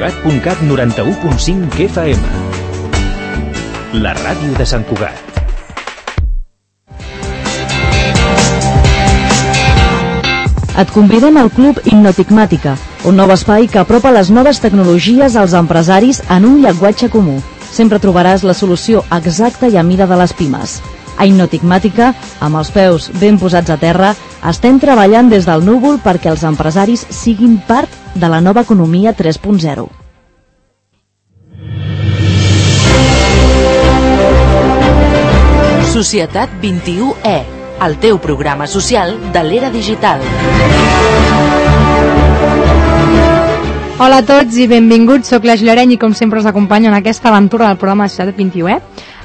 Cugat.cat 91.5 FM. La ràdio de Sant Cugat. Et convidem al Club Hipnotigmàtica, un nou espai que apropa les noves tecnologies als empresaris en un llenguatge comú. Sempre trobaràs la solució exacta i a mida de les pimes. A Hipnotigmàtica, amb els peus ben posats a terra, estem treballant des del núvol perquè els empresaris siguin part de la nova economia 3.0. Societat 21E, el teu programa social de l'era digital. Hola a tots i benvinguts, soc la Gilareny i com sempre us acompanyo en aquesta aventura del programa Societat 21E.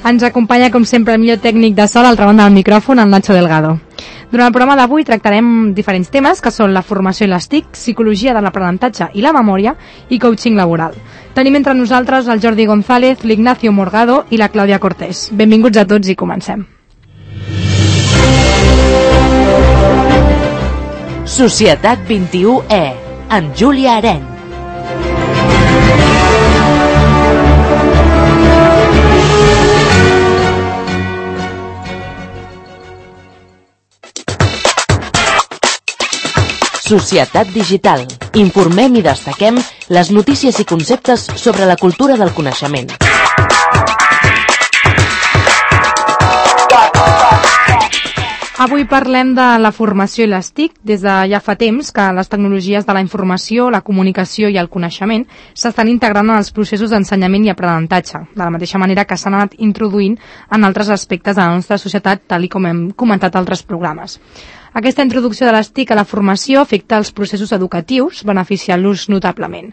Ens acompanya com sempre el millor tècnic de so a l'altra banda del micròfon, el Nacho Delgado. Durant el programa d'avui tractarem diferents temes que són la formació i les TIC, psicologia de l'aprenentatge i la memòria i coaching laboral. Tenim entre nosaltres el Jordi González, l'Ignacio Morgado i la Clàudia Cortés. Benvinguts a tots i comencem. Societat 21E, amb Júlia Areny. Societat digital. Informem i destaquem les notícies i conceptes sobre la cultura del coneixement. Avui parlem de la formació i les TIC. Des de ja fa temps que les tecnologies de la informació, la comunicació i el coneixement s'estan integrant en els processos d'ensenyament i aprenentatge, de la mateixa manera que s'han anat introduint en altres aspectes de la nostra societat, tal com hem comentat a altres programes. Aquesta introducció de les TIC a la formació afecta els processos educatius, beneficiant-los notablement.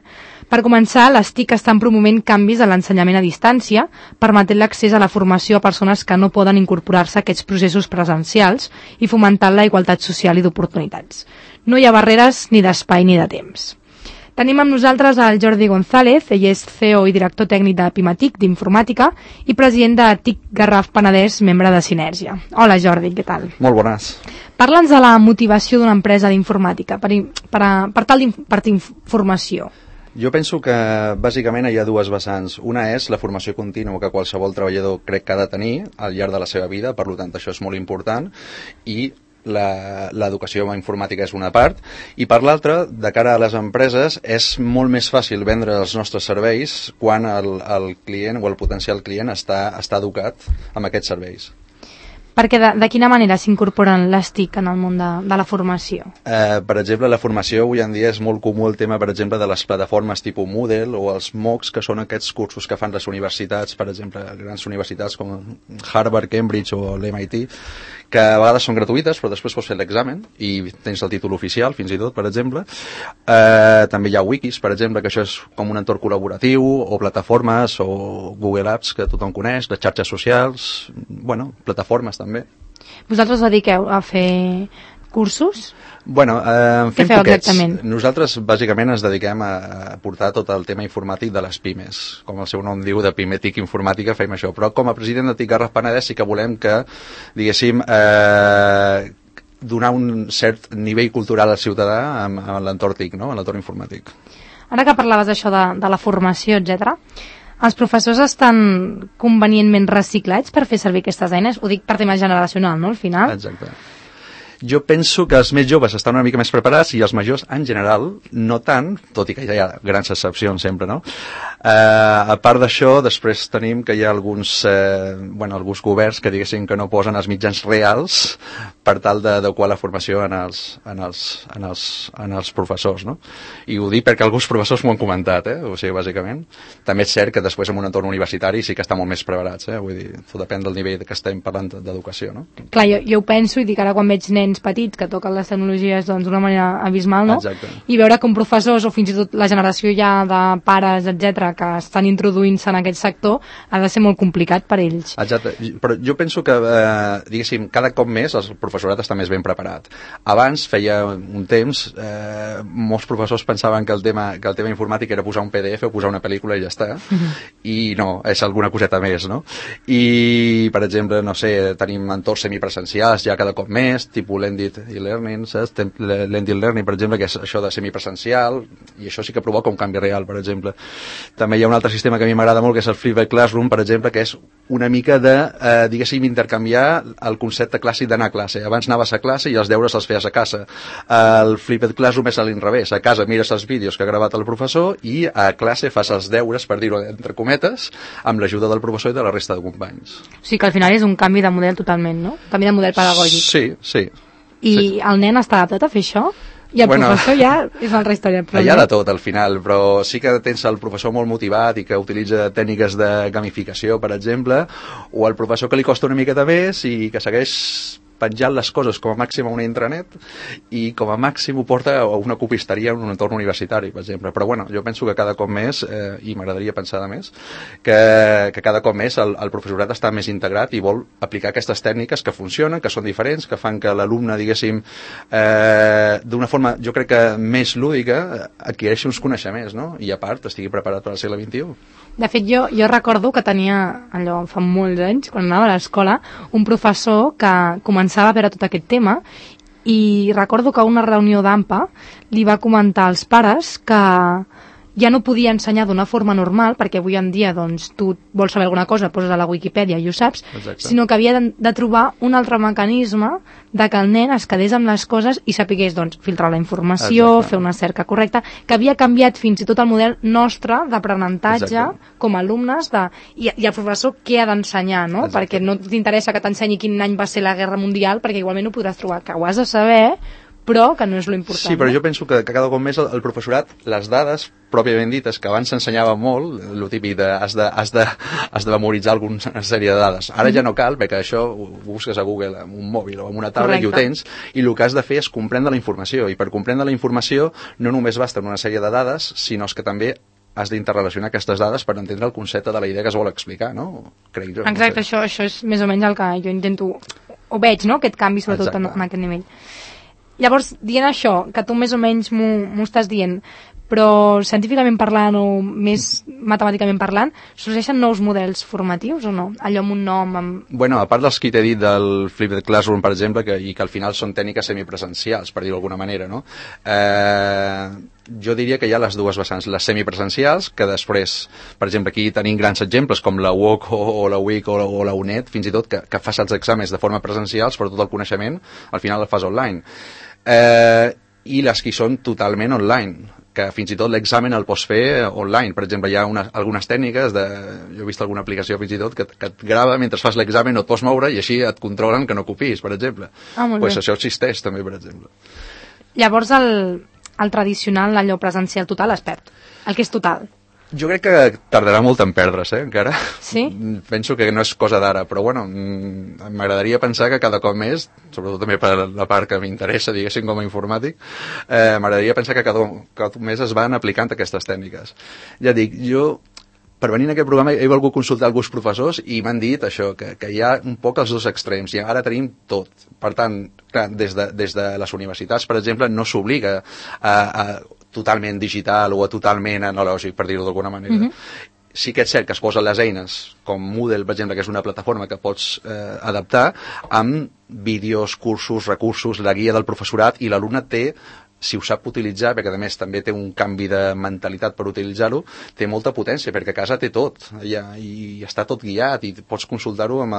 Per començar, les TIC estan promovent canvis a l'ensenyament a distància, permetent l'accés a la formació a persones que no poden incorporar-se a aquests processos presencials i fomentant la igualtat social i d'oportunitats. No hi ha barreres ni d'espai ni de temps. Tenim amb nosaltres el Jordi González, ell és CEO i director tècnic de Pimatic, d'informàtica, i president de TIC Garraf Penedès, membre de Sinèrgia. Hola Jordi, què tal? Molt bones. Parla'ns de la motivació d'una empresa d'informàtica per informació. Jo penso que bàsicament hi ha dues vessants. Una és la formació contínua que qualsevol treballador crec que ha de tenir al llarg de la seva vida, per tant això és molt important, i l'educació informàtica és una part, i per l'altra, de cara a les empreses, és molt més fàcil vendre els nostres serveis quan el client o el potencial client està educat amb aquests serveis. Perquè de quina manera s'incorporen les TIC en el món de la formació? Per exemple, la formació avui en dia és molt comú el tema, per exemple, de les plataformes tipus Moodle o els MOOCs, que són aquests cursos que fan les universitats, per exemple, grans universitats com Harvard, Cambridge o l'MIT, que a vegades són gratuïtes, però després pots fer l'examen i tens el títol oficial, fins i tot, per exemple. També hi ha wikis, per exemple, que això és com un entorn col·laboratiu, o plataformes, o Google Apps, que tothom coneix, les xarxes socials, plataformes també. Vosaltres us dediqueu a fer cursos? Fem poquets. Exactament? Nosaltres bàsicament ens dediquem a portar tot el tema informàtic de les pimes. Com el seu nom diu, de Pimatic Informàtica fem això. Però com a president de TIC Garraf Penedès sí que volem que, diguéssim, donar un cert nivell cultural al ciutadà amb l'entorn TIC, no? En l'entorn informàtic. Ara que parlaves d'això de la formació, etc., els professors estan convenientment reciclats per fer servir aquestes eines? Ho dic per tema generacional, no?, al final. Exacte. Jo penso que els més joves estan una mica més preparats i els majors, en general, no tant, tot i que hi ha grans excepcions sempre, no? A part d'això, després tenim que hi ha alguns governs que diguessin que no posen els mitjans reals per tal d'adequar la formació en els professors, no? I ho dic perquè alguns professors m'ho han comentat, o sigui, bàsicament. També és cert que després en un entorn universitari sí que estan molt més preparats, vull dir, tot depèn del nivell que estem parlant d'educació, no? Clar, jo ho penso i dic ara quan veig nens petits que toquen les tecnologies d'una manera abismal, no? Exacte. I veure com professors o fins i tot la generació ja de pares, etc, que estan introduint-se en aquest sector, ha de ser molt complicat per ells. Exacte, però jo penso que, diguéssim, cada cop més els professors professorat està més ben preparat. Abans, feia un temps, molts professors pensaven que el tema informàtic era posar un PDF o posar una pel·lícula i ja està, i no, és alguna coseta més, no? I, per exemple, no sé, tenim entorns semipresencials ja cada cop més, tipus l'ended learning, saps? L'ended learning, per exemple, que és això de semipresencial, i això sí que provoca un canvi real, per exemple. També hi ha un altre sistema que a mi m'agrada molt, que és el Flipped Classroom, per exemple, que és una mica de, diguéssim, intercanviar el concepte clàssic d'anar a classe. Abans anaves a classe i els deures els feies a casa. El Flipped Classroom és a l'inrevés. A casa mires els vídeos que ha gravat el professor i a classe fas els deures, per dir-ho entre cometes, amb l'ajuda del professor i de la resta de companys. O sigui que al final és un canvi de model totalment, no? Un canvi de model pedagògic. Sí. I el nen està adaptat a fer això? I el professor ja és una altra història. Hi ha de tot al final, però sí que tens el professor molt motivat i que utilitza tècniques de gamificació, per exemple, o el professor que li costa una miqueta més i que segueix penjant les coses com a màxim a una intranet i com a màxim ho porta a una copisteria en un entorn universitari, per exemple. Però bueno, jo penso que cada cop més, i m'agradaria pensar de més, que cada cop més el professorat està més integrat i vol aplicar aquestes tècniques que funcionen, que són diferents, que fan que l'alumne, diguéssim, d'una forma, jo crec que més lúdica, adquireixi uns coneixements, no? I a part estigui preparat per al segle XXI. De fet, jo recordo que tenia, allò fa molts anys, quan anava a l'escola, un professor que començava a veure tot aquest tema i recordo que a una reunió d'AMPA li va comentar als pares que ja no podia ensenyar d'una forma normal, perquè avui en dia doncs, tu vols saber alguna cosa, poses a la Wikipedia i ho saps, exacte, sinó que havia de trobar un altre mecanisme de que el nen es quedés amb les coses i sapigués doncs, filtrar la informació, exacte, fer una cerca correcta, que havia canviat fins i tot el model nostre d'aprenentatge com a alumnes, i el professor què ha d'ensenyar, no? Exacte. Perquè no t'interessa que t'ensenyi quin any va ser la Guerra Mundial, perquè igualment ho podràs trobar, que ho has de saber, però que no és lo important. Sí, però jo penso que cada cop més el professorat, les dades pròpiament dites, que abans s'ensenyava molt, el típic de has de memoritzar alguna sèrie de dades. Ara ja no cal, perquè això ho busques a Google amb un mòbil o amb una taula i ho tens, i el que has de fer és comprendre la informació, i per comprendre la informació no només basta una sèrie de dades, sinó que també has d'interrelacionar aquestes dades per entendre el concepte de la idea que es vol explicar, no? Crec jo. Exacte, no sé. Això és més o menys el que jo intento, o veig, no?, aquest canvi, sobretot en aquest nivell. Llavors, dient això, que tu més o menys m'ho estàs dient, però científicament parlant o més matemàticament parlant, sorgeixen nous models formatius o no? Allò amb un nom... Bueno, a part dels que t'he dit del Flipped Classroom, per exemple, i que al final són tècniques semipresencials, per dir-ho d'alguna manera, no? Jo diria que hi ha les dues vessants, les semipresencials, que després, per exemple, aquí tenim grans exemples com la UOC o la UIC o la UNED, fins i tot, que fas els exàmens de forma presencials, però tot el coneixement al final el fas online. I les que són totalment online, que fins i tot l'examen el pots fer online. Per exemple, hi ha algunes tècniques, jo he vist alguna aplicació fins i tot que et grava mentre fas l'examen, no et pots moure i així et controlen que no copiïs, per exemple. Pues això existeix també, per exemple. Llavors el tradicional, allò presencial total, es perd. El que és total. Jo crec que tardarà molt en perdre's, encara. Sí? Penso que no és cosa d'ara, però bueno, m'agradaria pensar que cada cop més, sobretot també per la part que m'interessa, diguéssim, com a informàtic, m'agradaria pensar que cada cop més es van aplicant aquestes tècniques. Ja dic, jo, per venir a aquest programa he volgut consultar alguns professors i m'han dit això, que hi ha un poc els dos extrems, i ara tenim tot. Per tant, clar, des de les universitats, per exemple, no s'obliga a totalment digital o totalment analògic, per dir-ho d'alguna manera. Sí que és cert que es posen les eines, com Moodle, per exemple, que és una plataforma que pots adaptar, amb vídeos, cursos, recursos, la guia del professorat, i l'alumne té, si ho sap utilitzar, perquè a més també té un canvi de mentalitat per utilitzar-ho, té molta potència, perquè a casa té tot, i està tot guiat, i pots consultar-ho amb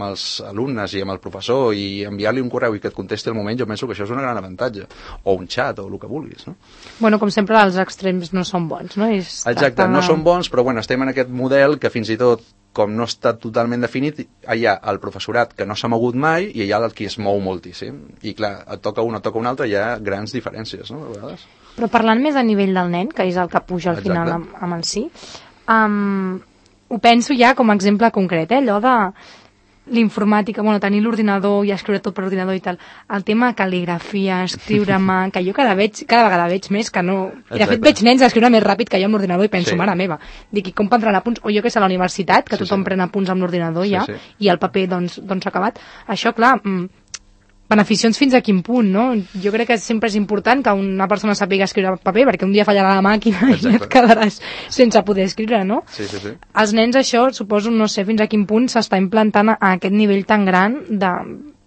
els alumnes i amb el professor, i enviar-li un correu i que et contesti al moment. Jo penso que això és un gran avantatge, o un xat, o el que vulguis, no? Bueno, com sempre, els extrems no són bons, no? Exacte, no són bons, però bueno, estem en aquest model que fins i tot, com no està totalment definit, hi ha el professorat que no s'ha mogut mai i hi ha el qui es mou moltíssim. I clar, et toca un, et toca un altre, hi ha grans diferències, no?, a vegades. Però parlant més a nivell del nen, que és el que puja al final amb el sí, ho penso ja com a exemple concret, allò de l'informàtica, bueno, tenir l'ordinador i escriure tot per ordinador i tal, el tema de cal·ligrafia, escriure a mà, que jo cada vegada veig més que no... I de fet veig nens a escriure més ràpid que jo amb l'ordinador i penso, mare meva, dic, com prendran apunts? O jo que sé, a la universitat, que tothom pren apunts amb l'ordinador ja, i el paper doncs s'ha acabat. Això, clar, beneficions fins a quin punt, no? Jo crec que sempre és important que una persona sàpiga escriure en paper, perquè un dia fallarà la màquina i et quedaràs sense poder escriure, no? Sí. Els nens això, suposo, no sé fins a quin punt s'està implantant a aquest nivell tan gran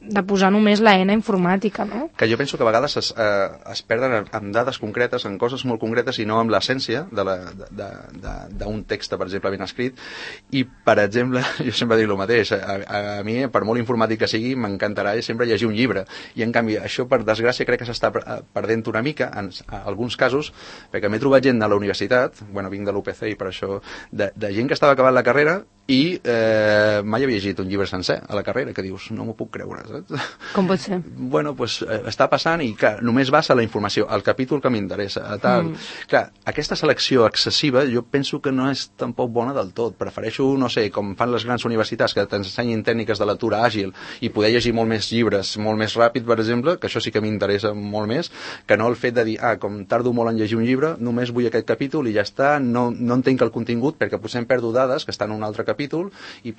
de posar només la eina informàtica, no? Que jo penso que a vegades es perden en dades concretes, en coses molt concretes i no amb l'essència d'un text, per exemple, ben escrit. I, per exemple, jo sempre dic el mateix, a mi, per molt informàtic que sigui, m'encantarà sempre llegir un llibre. I, en canvi, això, per desgràcia, crec que s'està perdent una mica, en alguns casos, perquè m'he trobat gent a la universitat, vinc de l'UPC i per això, de gent que estava acabant la carrera i mai havia llegit un llibre sencer a la carrera, que dius, no m'ho puc creure, saps? Com pot ser? Està passant i, clar, només vas a la informació, al capítol que m'interessa, tal. Clar, aquesta selecció excessiva jo penso que no és tampoc bona del tot. Prefereixo, no sé, com fan les grans universitats, que t'ensenyin tècniques de lectura àgil i poder llegir molt més llibres, molt més ràpid, per exemple, que això sí que m'interessa molt més, que no el fet de dir, com tardo molt en llegir un llibre, només vull aquest capítol i ja està, no entenc el contingut, perquè potser em perdo dades que estan en un altre capítol i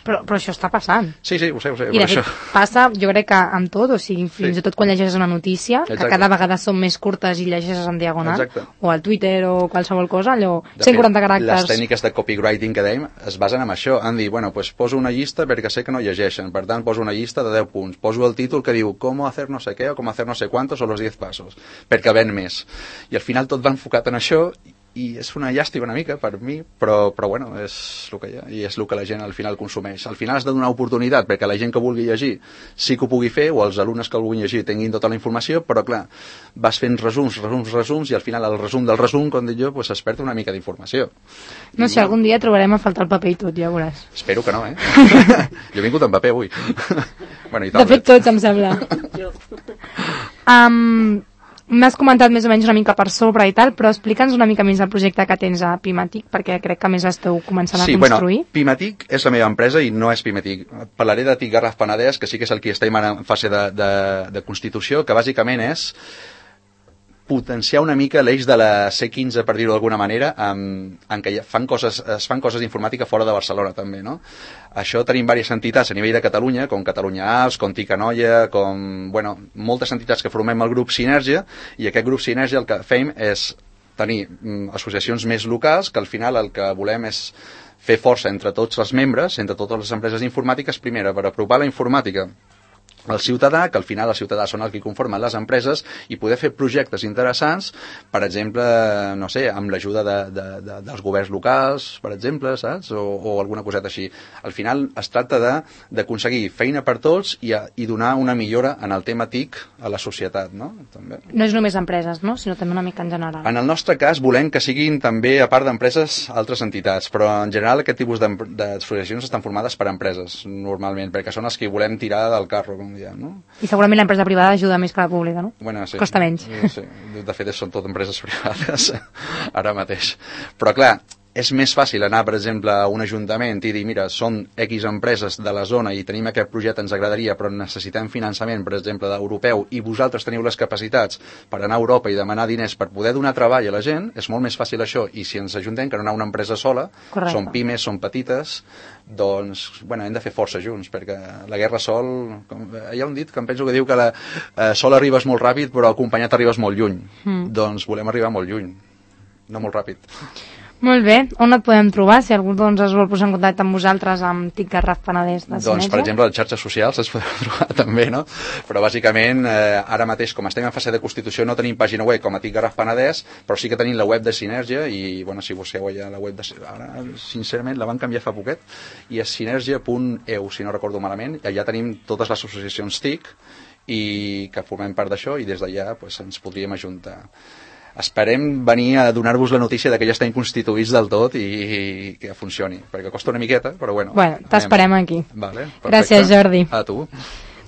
Però això està passant. Sí, ho sé. I de fet passa, jo crec que amb tot, o sigui, fins i tot quan llegeixes una notícia, que cada vegada són més curtes i llegeixes en diagonal, o al Twitter o qualsevol cosa, allò, 140 caràcters. Les tècniques de copywriting que dèiem es basen en això, en dir, poso una llista perquè sé que no llegeixen, per tant poso una llista de 10 punts, poso el títol que diu com hacer no sé què o com hacer no sé cuántos o los 10 pasos, perquè ven més. I al final tot va enfocat en això i és una llàstima una mica per mi, però és el que hi ha i és el que la gent al final consumeix. Al final has de donar oportunitat perquè la gent que vulgui llegir sí que ho pugui fer, o els alumnes que el vulguin llegir tinguin tota la informació, però clar, vas fent resums i al final el resum del resum, com dic jo, es perd una mica d'informació. No sé, algun dia trobarem a faltar el paper i tot, ja veuràs. Espero que no, Jo he vingut en paper avui. De fet tots, em sembla. M'has comentat més o menys una mica per sobre i tal, però explica'ns una mica més el projecte que tens a Pimatic, perquè crec que més esteu començant a construir. Sí, Pimatic és la meva empresa i no és Pimatic. Parlaré de TIC Garraf Penedès, que sí que és el que estem en fase de constitució, que bàsicament és potenciar una mica l'eix de la C15, per dir-ho d'alguna manera, en què es fan coses d'informàtica fora de Barcelona, també, no? Això tenim diverses entitats a nivell de Catalunya, com Catalunya Arts, com TIC Anoia, moltes entitats que formem el grup Sinergia, i aquest grup Sinergia el que fem és tenir associacions més locals, que al final el que volem és fer força entre tots els membres, entre totes les empreses informàtiques, primera, per apropar la informàtica al ciutadà, que al final el ciutadà són els que conformen les empreses, i poder fer projectes interessants, per exemple, no sé, amb l'ajuda dels governs locals, per exemple, saps? O alguna coseta així. Al final es tracta d'aconseguir feina per tots i donar una millora en el tema TIC a la societat, no? També. No és només empreses, no? Sinó també una mica en general. En el nostre cas volem que siguin també, a part d'empreses, altres entitats, però en general aquest tipus d'associacions estan formades per empreses, normalment, perquè són els que volem tirar del carro, com diem, no? I segurament l'empresa privada ajuda més que la pública, no? Sí. Costa menys. Sí. De fet, són tot empreses privades ara mateix. Però clar, és més fàcil anar, per exemple, a un ajuntament i dir, mira, són X empreses de la zona i tenim aquest projecte, ens agradaria, però necessitem finançament, per exemple, d'europeu, i vosaltres teniu les capacitats per anar a Europa i demanar diners per poder donar treball a la gent, és molt més fàcil això, i si ens ajuntem que no anar a una empresa sola, correcte, són pimes, són petites, doncs, hem de fer força junts, perquè la guerra sol... Hi ha un dit que em penso que diu que sol arribes molt ràpid, però acompanyat arribes molt lluny. Doncs volem arribar molt lluny, no molt ràpid. Molt bé. On et podem trobar? Si algú es vol posar en contacte amb vosaltres, amb TIC Garraf Penedès de Sinergia? Doncs, per exemple, a les xarxes socials es podeu trobar també, no? Però, bàsicament, ara mateix, com estem en fase de constitució, no tenim pàgina web com a TIC Garraf Penedès, però sí que tenim la web de Sinergia i, si busqueu allà la web de... Ara, sincerament, la van canviar fa poquet i és sinergia.eu, si no recordo malament, i allà tenim totes les associacions TIC i que formem part d'això i des d'allà ens podríem ajuntar. Esperem venir a donar-vos la notícia que ja estem constituïts del tot i que funcioni, perquè costa una miqueta, però bueno. Bueno, t'esperem aquí. Vale, gràcies, Jordi. A tu.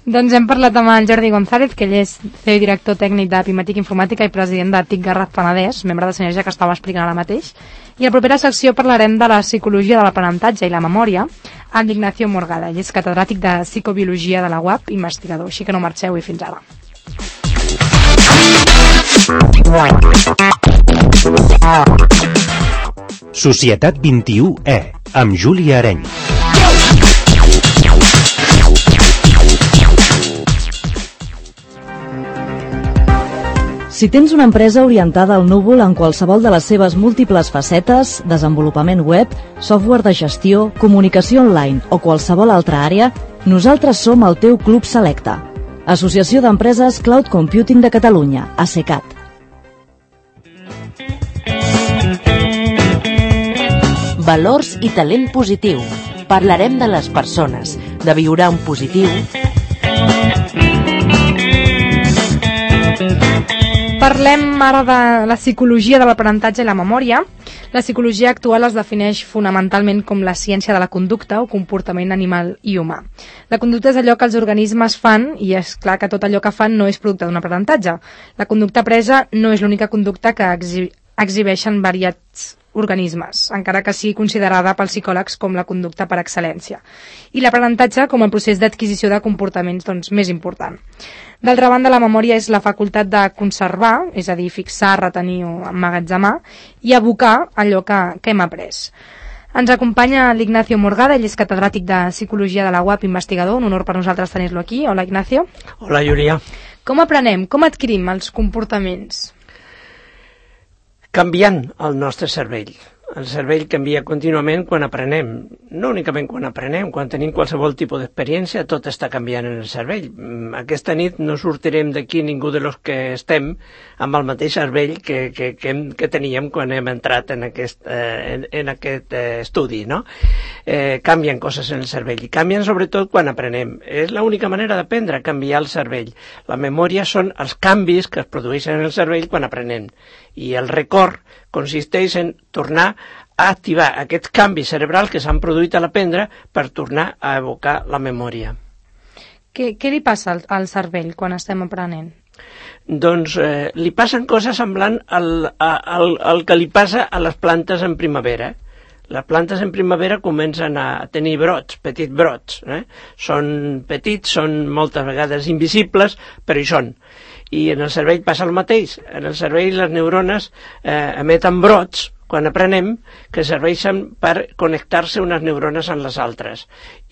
Doncs hem parlat amb el Jordi González, que ell és CEO i director tècnic de Pimatic Informàtica i president de TIC Garraf Penedès, membre de Sinergia, que estava explicant ara mateix. I a la propera secció parlarem de la psicologia de l'aprenentatge i la memòria amb Ignacio Morgada, ell és catedràtic de psicobiologia de la UAP, investigador. Així que no marxeu i fins ara. Societat 21E, amb Júlia Areny. Si tens una empresa orientada al núvol en qualsevol de les seves múltiples facetes, desenvolupament web, software de gestió, comunicació online o qualsevol altra àrea, nosaltres som el teu Club Selecta. Associació d'Empreses Cloud Computing de Catalunya, ACECAT. Valors i talent positiu. Parlarem de les persones, de viure en positiu. Parlem ara de la psicologia de l'aprenentatge i la memòria. La psicologia actual es defineix fonamentalment com la ciència de la conducta o comportament animal i humà. La conducta és allò que els organismes fan i és clar que tot allò que fan no és producte d'un aprenentatge. La conducta presa no és l'única conducta que exhibeixen variats organismes, encara que sigui considerada pels psicòlegs com la conducta per excel·lència. I l'aprenentatge com el procés d'adquisició de comportaments més important. D'altra banda, la memòria és la facultat de conservar, és a dir, fixar, retenir o emmagatzemar, i abocar allò que hem après. Ens acompanya l'Ignacio Morgada, ell és catedràtic de Psicologia de la UAP, investigador, un honor per nosaltres tenir-lo aquí. Hola, Ignacio. Hola, Júlia. Com aprenem, com adquirim els comportaments? Canviant el nostre cervell. El cervell canvia contínuament quan aprenem. No únicament quan aprenem, quan tenim qualsevol tipus d'experiència, tot està canviant en el cervell. Aquesta nit no sortirem d'aquí ningú de los que estem amb el mateix cervell que teníem quan hem entrat en aquest estudi, no? Canvien coses en el cervell i canvien sobretot quan aprenem. És l'única manera d'aprendre, canviar el cervell. La memòria són els canvis que es produeixen en el cervell quan aprenem. I el record consisteix en tornar a activar aquests canvis cerebrals que s'han produït a l'aprendre per tornar a evocar la memòria. Què li passa al cervell quan estem aprenent? Doncs li passen coses semblant al que li passa a les plantes en primavera. Les plantes en primavera comencen a tenir brots, petits brots. Són petits, són moltes vegades invisibles, però hi són. I en el cervell passa el mateix. En el cervell les neurones emeten brots, quan aprenem, que serveixen per connectar-se unes neurones amb les altres.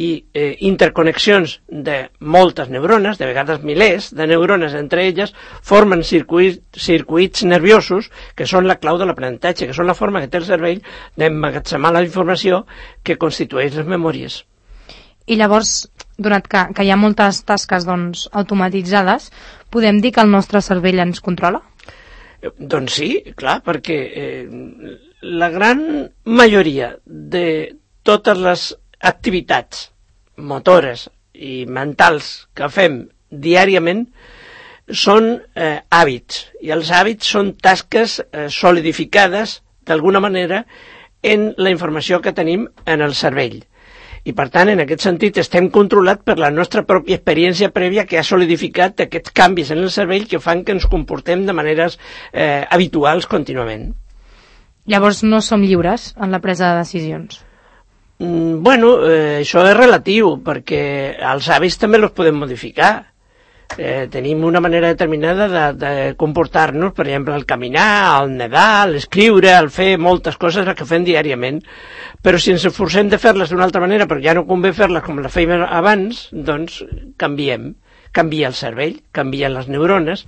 I interconnexions de moltes neurones, de vegades milers de neurones entre elles, formen circuits nerviosos que són la clau de l'aprenentatge, que són la forma que té el cervell d'emmagatzemar la informació que constitueix les memòries. I llavors, donat que hi ha moltes tasques automatitzades, podem dir que el nostre cervell ens controla? Doncs sí, clar, perquè la gran majoria de totes les activitats motores i mentals que fem diàriament són hàbits, i els hàbits són tasques solidificades d'alguna manera en la informació que tenim en el cervell. I, per tant, en aquest sentit, estem controlats per la nostra pròpia experiència prèvia que ha solidificat aquests canvis en el cervell que fan que ens comportem de maneres habituals contínuament. Llavors no som lliures en la presa de decisions? Bueno, això és relatiu, perquè els hàbits també els podem modificar. Tenim una manera determinada de comportar-nos, per exemple, el caminar, el nedar, l'escriure, el fer moltes coses que fem diàriament, però si ens esforcem de fer-les d'una altra manera, però ja no convé fer-les com les fèiem abans, doncs canvia el cervell, canvien les neurones,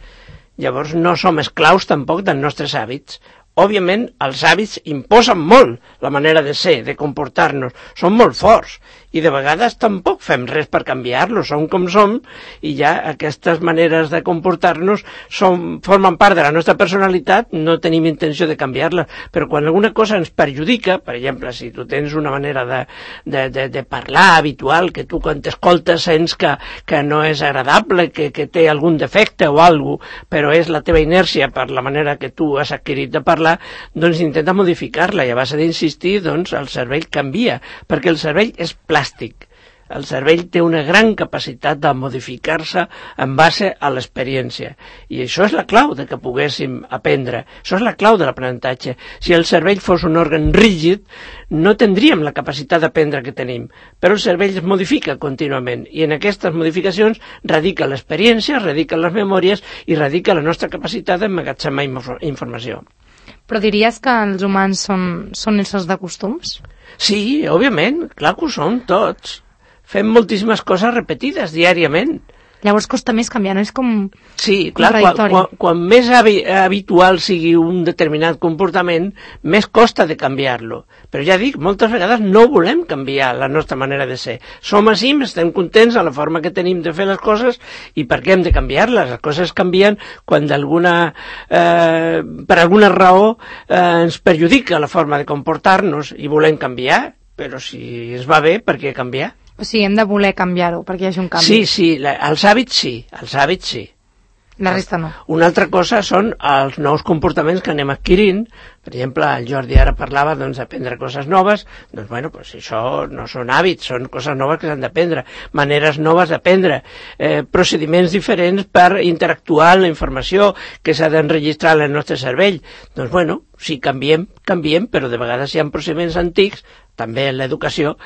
llavors no som esclaus tampoc dels nostres hàbits. Òbviament, els hàbits imposen molt la manera de ser, de comportar-nos, són molt forts, i de vegades tampoc fem res per canviar-los, som com som, i ja aquestes maneres de comportar-nos formen part de la nostra personalitat, no tenim intenció de canviar-la, però quan alguna cosa ens perjudica, per exemple, si tu tens una manera de parlar habitual, que tu quan t'escoltes sents que no és agradable, que té algun defecte o alguna cosa, però és la teva inèrcia per la manera que tu has adquirit de parlar, doncs intenta modificar-la, i a base d'insistir, doncs el cervell canvia, perquè el cervell és plàstic. El cervell té una gran capacitat de modificar-se en base a l'experiència. I això és la clau de que poguéssim aprendre. Això és la clau de l'aprenentatge. Si el cervell fos un òrgan rígid, no tindríem la capacitat d'aprendre que tenim. Però el cervell es modifica contínuament. I en aquestes modificacions radica l'experiència, radica les memòries i radica la nostra capacitat d'emmagatzemar informació. Però diries que els humans són éssers de costums? Sí, òbviament, clar que ho som tots. Fem moltíssimes coses repetides diàriament. Llavors costa més canviar, no? És com Sí, clar, quan més habitual sigui un determinat comportament, més costa de canviar-lo. Però ja dic, moltes vegades no volem canviar la nostra manera de ser. Som així, estem contents a la forma que tenim de fer les coses i per què hem de canviar-les? Les coses canvien quan per alguna raó ens perjudica la forma de comportar-nos i volem canviar, però si es va bé, per què canviar? O sigui, hem de voler canviar-ho perquè hi hagi un canvi. Sí, els hàbits sí. La resta no. Una altra cosa són els nous comportaments que anem adquirint. Per exemple, el Jordi ara parlava d'aprendre coses noves. Doncs, bueno, això no són hàbits, són coses noves que s'han d'aprendre, maneres noves d'aprendre, procediments diferents per interactuar amb la informació que s'ha d'enregistrar en el nostre cervell. Doncs, bueno, sí, canviem, però de vegades hi ha procediments antics, també en l'educació,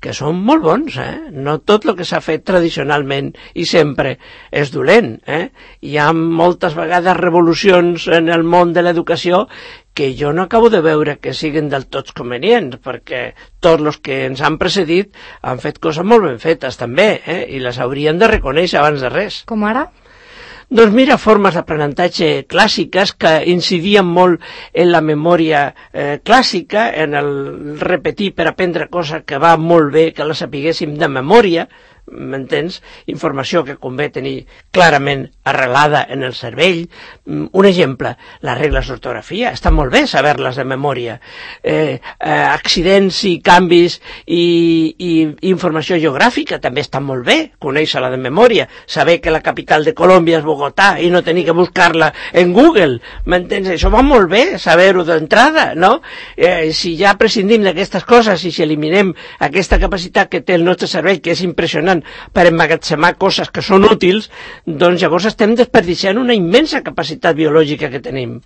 que són molt bons, No tot el que s'ha fet tradicionalment i sempre és dolent, Hi ha moltes vegades revolucions en el món de l'educació que jo no acabo de veure que siguin del tot convenients, perquè tots els que ens han precedit han fet coses molt ben fetes també, i les haurien de reconèixer abans de res. Com ara? Doncs mira, formes d'aprenentatge clàssiques que incidien molt en la memòria clàssica, en el repetir per aprendre coses que va molt bé que les sapiguéssim de memòria, m'entens? Informació que convé tenir clarament arrelada en el cervell. Un exemple, les regles d'ortografia, està molt bé saber-les de memòria. Accidents i canvis i informació geogràfica també està molt bé, conèixer-la de memòria, saber que la capital de Colòmbia és Bogotà i no tenir que buscar-la en Google, m'entens? Això va molt bé, saber-ho d'entrada, no? Si ja prescindim d'aquestes coses i si eliminem aquesta capacitat que té el nostre cervell, que és impressionant, per emmagatzemar coses que són útils, doncs llavors estem desperdiciant una immensa capacitat biològica que tenim.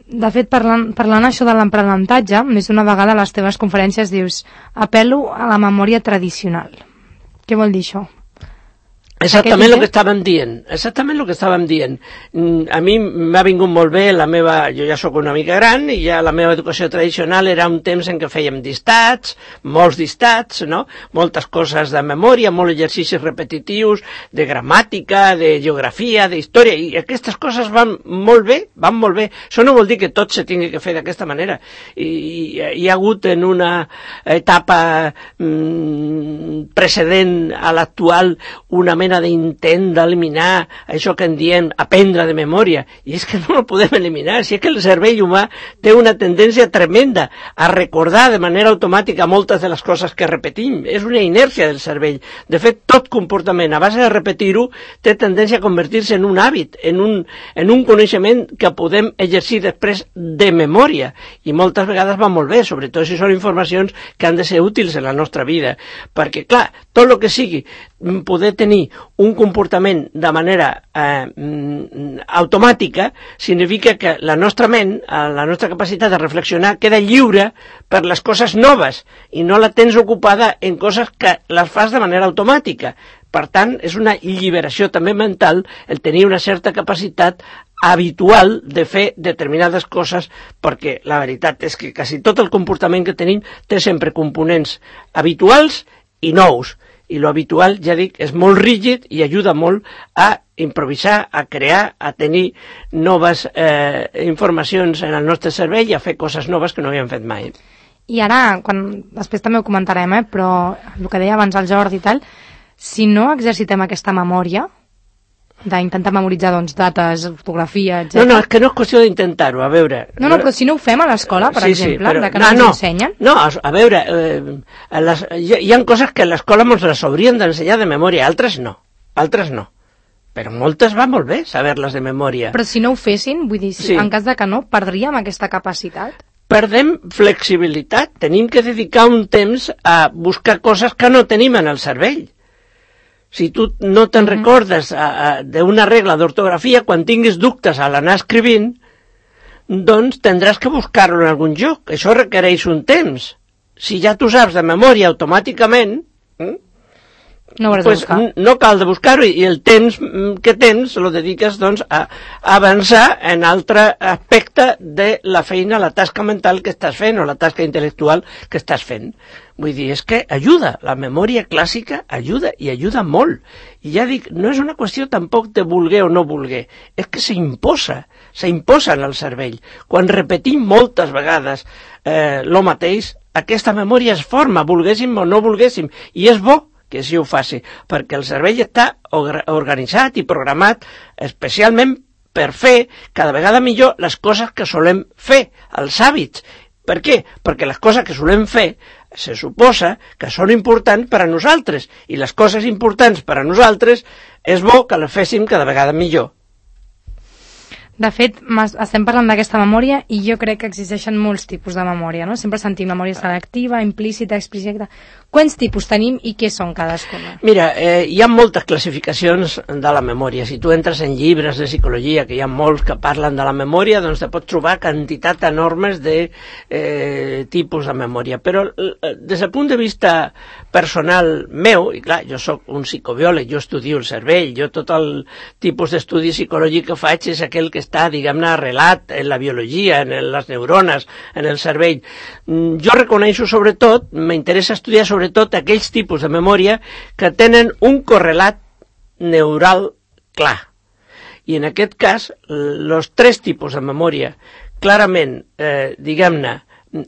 De fet, parlant això de l'aprenentatge, més d'una vegada a les teves conferències dius apel·lo a la memòria tradicional. Què vol dir això? Exactament el que estàvem dient. A mi m'ha vingut molt bé jo ja sóc una mica gran i ja la meva educació tradicional era un temps en què fèiem dictats, molts dictats, no? Moltes coses de memòria, molts exercicis repetitius, de gramàtica, de geografia, d'història, i aquestes coses van molt bé. Això no vol dir que tot se tingui que fer d'aquesta manera. Hi ha hagut en una etapa precedent a l'actual una mena d'intent d'eliminar això que en diem aprendre de memòria, i és que no ho podem eliminar, si és que el cervell humà té una tendència tremenda a recordar de manera automàtica moltes de les coses que repetim, és una inèrcia del cervell. De fet, tot comportament a base de repetir-ho té tendència a convertir-se en un hàbit, en un coneixement que podem exercir després de memòria, i moltes vegades va molt bé, sobretot si són informacions que han de ser útils en la nostra vida, perquè clar, tot el que sigui poder tenir un comportament de manera automàtica significa que la nostra ment, la nostra capacitat de reflexionar queda lliure per les coses noves i no la tens ocupada en coses que les fas de manera automàtica. Per tant, és una alliberació també mental el tenir una certa capacitat habitual de fer determinades coses, perquè la veritat és que quasi tot el comportament que tenim té sempre components habituals i nous. I lo habitual, ja dic, és molt rígid i ajuda molt a improvisar, a crear, a tenir noves informacions en el nostre cervell i a fer coses noves que no havíem fet mai. I ara, després també ho comentarem, però el que deia abans el Jordi i tal, si no exercitem aquesta memòria, d'intentar memoritzar dates, ortografia, etc. No, és que no és qüestió d'intentar-ho, a veure... No, però si no ho fem a l'escola, per exemple, però, que no ens ensenyen... No, a veure, hi ha coses que a l'escola ens les haurien d'ensenyar de memòria, altres no. Però moltes va molt bé saber-les de memòria. Però si no ho fessin, vull dir, en cas de que no, perdríem aquesta capacitat? Perdem flexibilitat, tenim que dedicar un temps a buscar coses que no tenim en el cervell. Si tu no te'n recordes d'una regla d'ortografia, quan tinguis dubtes a l'anar escrivint, doncs tindràs que buscar-lo en algun lloc. Això requereix un temps. Si ja tu saps de memòria automàticament, no cal de buscar-ho i el temps que tens lo dediques doncs, a avançar en altre aspecte de la feina, la tasca mental que estàs fent o la tasca intel·lectual que estàs fent. Vull dir, és que ajuda, la memòria clàssica ajuda i ajuda molt. I ja dic, no és una qüestió tampoc de voler o no voler, és que s'imposa en el cervell. Quan repetim moltes vegades lo mateix, aquesta memòria es forma, volguéssim o no volguéssim, i és bo que així ho faci, perquè el cervell està organitzat i programat especialment per fer cada vegada millor les coses que solem fer, els hàbits. Per què? Perquè les coses que solem fer se suposa que són importants per a nosaltres, i les coses importants per a nosaltres és bo que les féssim cada vegada millor. De fet, estem parlant d'aquesta memòria i jo crec que existeixen molts tipus de memòria, no? Sempre sentim memòria selectiva, implícita, explícita. Quants tipus tenim i què són cadascuna? Mira, hi ha moltes classificacions de la memòria. Si tu entres en llibres de psicologia, que hi ha molts que parlen de la memòria, doncs te pots trobar quantitat enormes de tipus de memòria. Però des del punt de vista personal meu, i clar, jo sóc un psicobiòleg, jo estudio el cervell, jo tot el tipus d'estudi psicològic que faig és aquell que està, diguem-ne, arrelat en la biologia, en les neurones, en el cervell. Jo reconeixo sobretot, m'interessa estudiar sobretot aquells tipus de memòria que tenen un correlat neural clar. I en aquest cas, els tres tipus de memòria clarament, diguem-ne,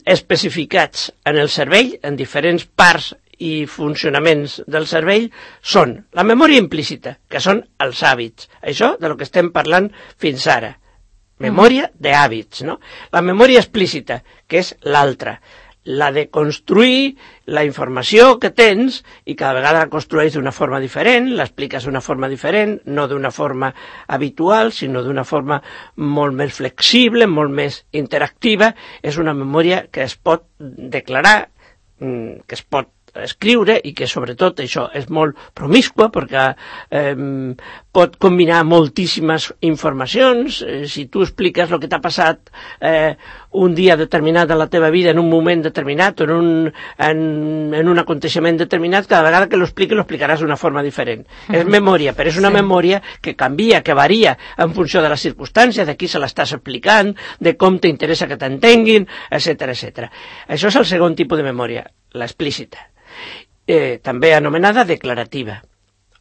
especificats en el cervell, en diferents parts i funcionaments del cervell, són la memòria implícita, que són els hàbits. Això de lo que estem parlant fins ara. Memòria d'hàbits, no? La memòria explícita, que és l'altra. La de construir la informació que tens i cada vegada la construeix d'una forma diferent, l'expliques d'una forma diferent, no d'una forma habitual, sinó d'una forma molt més flexible, molt més interactiva. És una memòria que es pot declarar, que es pot escriure i que sobretot això és molt promiscua perquè pot combinar moltíssimes informacions. Si tu expliques el que t'ha passat un dia determinat de la teva vida en un moment determinat o en un aconteixement determinat, cada vegada que l'expliquis lo explicaràs d'una forma diferent. És memòria, però és una memòria que canvia, que varia en funció de les circumstàncies, de qui se l'estàs explicant, de com t'interessa que t'entenguin, etc. Això és el segon tipus de memòria, l'explícita. També anomenada declarativa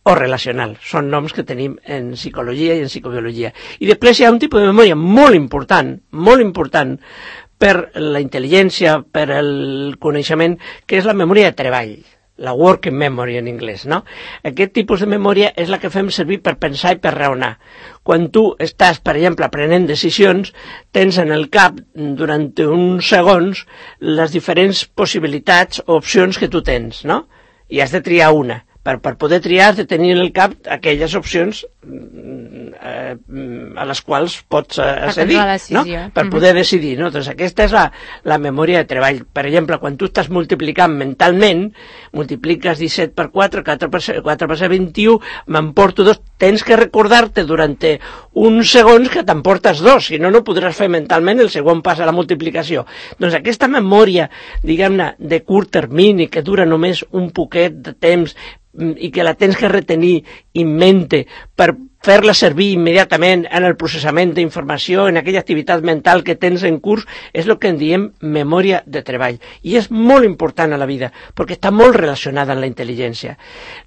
o relacional. Són noms que tenim en psicologia i en psicobiologia. I després hi ha un tipus de memòria molt important per la intel·ligència, per el coneixement, que és la memòria de treball, la working memory en anglès, no? Aquest tipus de memòria és la que fem servir per pensar i per raonar. Quan tu estàs, per exemple, prenent decisions, tens en el cap, durant uns segons, les diferents possibilitats o opcions que tu tens, no? I has de triar una. Per poder triar has de tenir en el cap aquelles opcions a les quals pots accedir, no? Per poder decidir, no? Doncs aquesta és la memòria de treball. Per exemple, quan tu estàs multiplicant mentalment, multipliques 17 per 4, 4 per 7, 21, m'emporto 2, tens que recordar-te durant uns segons que t'emportes 2, si no, no podràs fer mentalment el segon pas a la multiplicació. Doncs aquesta memòria, diguem-ne, de curt termini, que dura només un poquet de temps, i que la tens que retenir en mente per fer-la servir immediatament en el processament d'informació, en aquella activitat mental que tens en curs, és el que en diem memòria de treball. I és molt important a la vida, perquè està molt relacionada amb la intel·ligència.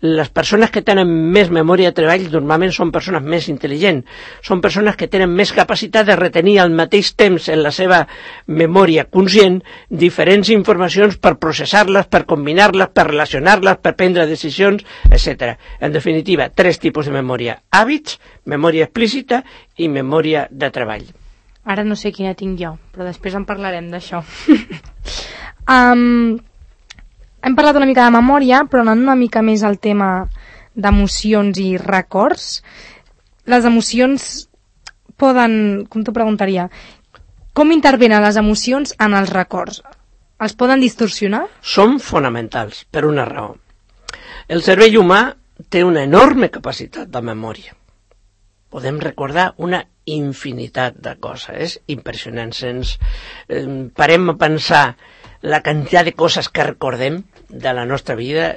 Les persones que tenen més memòria de treball normalment són persones més intel·ligents, són persones que tenen més capacitat de retenir al mateix temps en la seva memòria conscient diferents informacions per processar-les, per combinar-les, per relacionar-les, per prendre decisions, etc. En definitiva, tres tipus de memòria: hàbits, memòria explícita i memòria de treball. Ara no sé quina tinc jo, però després en parlarem d'això. Hem parlat una mica de memòria, però anant una mica més al tema d'emocions i records. Les emocions poden, com t'ho preguntaria, com intervenen les emocions en els records? Els poden distorsionar? Són fonamentals, per una raó. El cervell humà té una enorme capacitat de memòria. Podem recordar una infinitat de coses. És impressionant. Parem a pensar la quantitat de coses que recordem. de la nostra vida,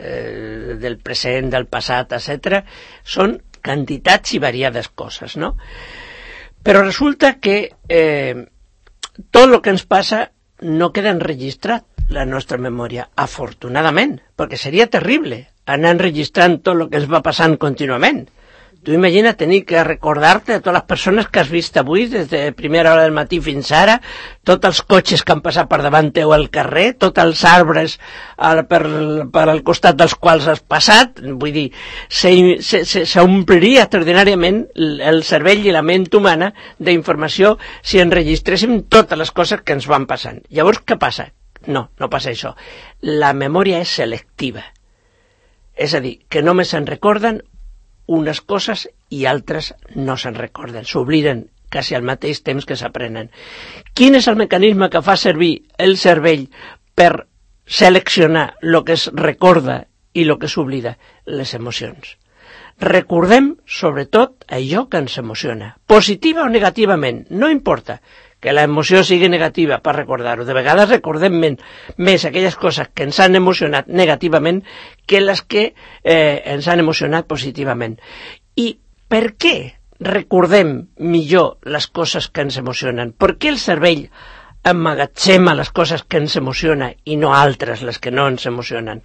del present, del passat, etc., són quantitats i variades coses, no? Però resulta que tot el que ens passa no queda enregistrat la nostra memòria, afortunadament, perquè seria terrible anar enregistrant tot el que ens va passant contínuament. Tu imagina tenir que recordar-te de totes les persones que has vist avui, des de primera hora del matí fins ara, tots els cotxes que han passat per davant teu al carrer, tots els arbres per al costat dels quals has passat. Vull dir, s'ompliria extraordinàriament el cervell i la ment humana d'informació si enregistréssim totes les coses que ens van passant. Llavors, què passa? No passa això. La memòria és selectiva. És a dir, que només se'n recorden unes coses i altres no se'n recorden, s'obliden quasi al mateix temps que s'aprenen. Quin és el mecanisme que fa servir el cervell per seleccionar el que es recorda i el que s'oblida? Les emocions. Recordem, sobretot, allò que ens emociona, positiva o negativament, no importa que l'emoció sigui negativa per recordar-ho. De vegades recordem més aquelles coses que ens han emocionat negativament que les que ens han emocionat positivament. I per què recordem millor les coses que ens emocionen? Per què el cervell emmagatzema les coses que ens emocionen i no altres, les que no ens emocionen?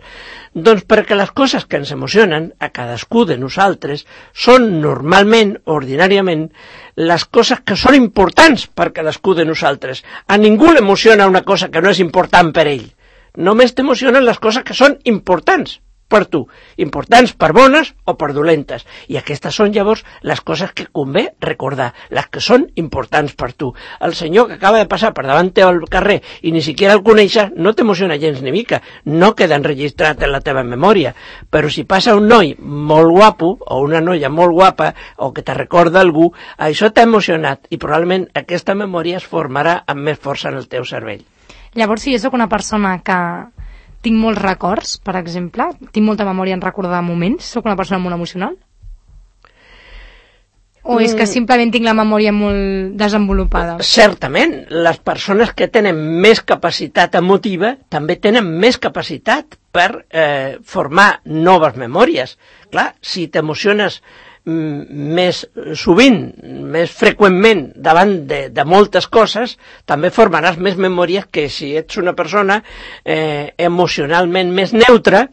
Doncs perquè les coses que ens emocionen a cadascú de nosaltres són normalment, ordinàriament, les coses que són importants per cadascú de nosaltres. A ningú l'emociona una cosa que no és important per ell. Només t'emocionen les coses que són importants per tu, importants per bones o per dolentes. I aquestes són llavors les coses que convé recordar, les que són importants per tu. El senyor que acaba de passar per davant teu al carrer i ni siquiera el coneixes, no t'emociona gens ni mica, no queda enregistrat en la teva memòria. Però si passa un noi molt guapo o una noia molt guapa o que te recorda algú, això t'ha emocionat i probablement aquesta memòria es formarà amb més força en el teu cervell. Llavors, si jo soc una persona que tinc molts records, per exemple, tinc molta memòria en recordar moments, sóc una persona molt emocional? O és que simplement tinc la memòria molt desenvolupada? Certament, les persones que tenen més capacitat emotiva també tenen més capacitat per formar noves memòries. Clar, si t'emociones més sovint, més freqüentment davant de moltes coses, també formaràs més memòries que si ets una persona emocionalment més neutra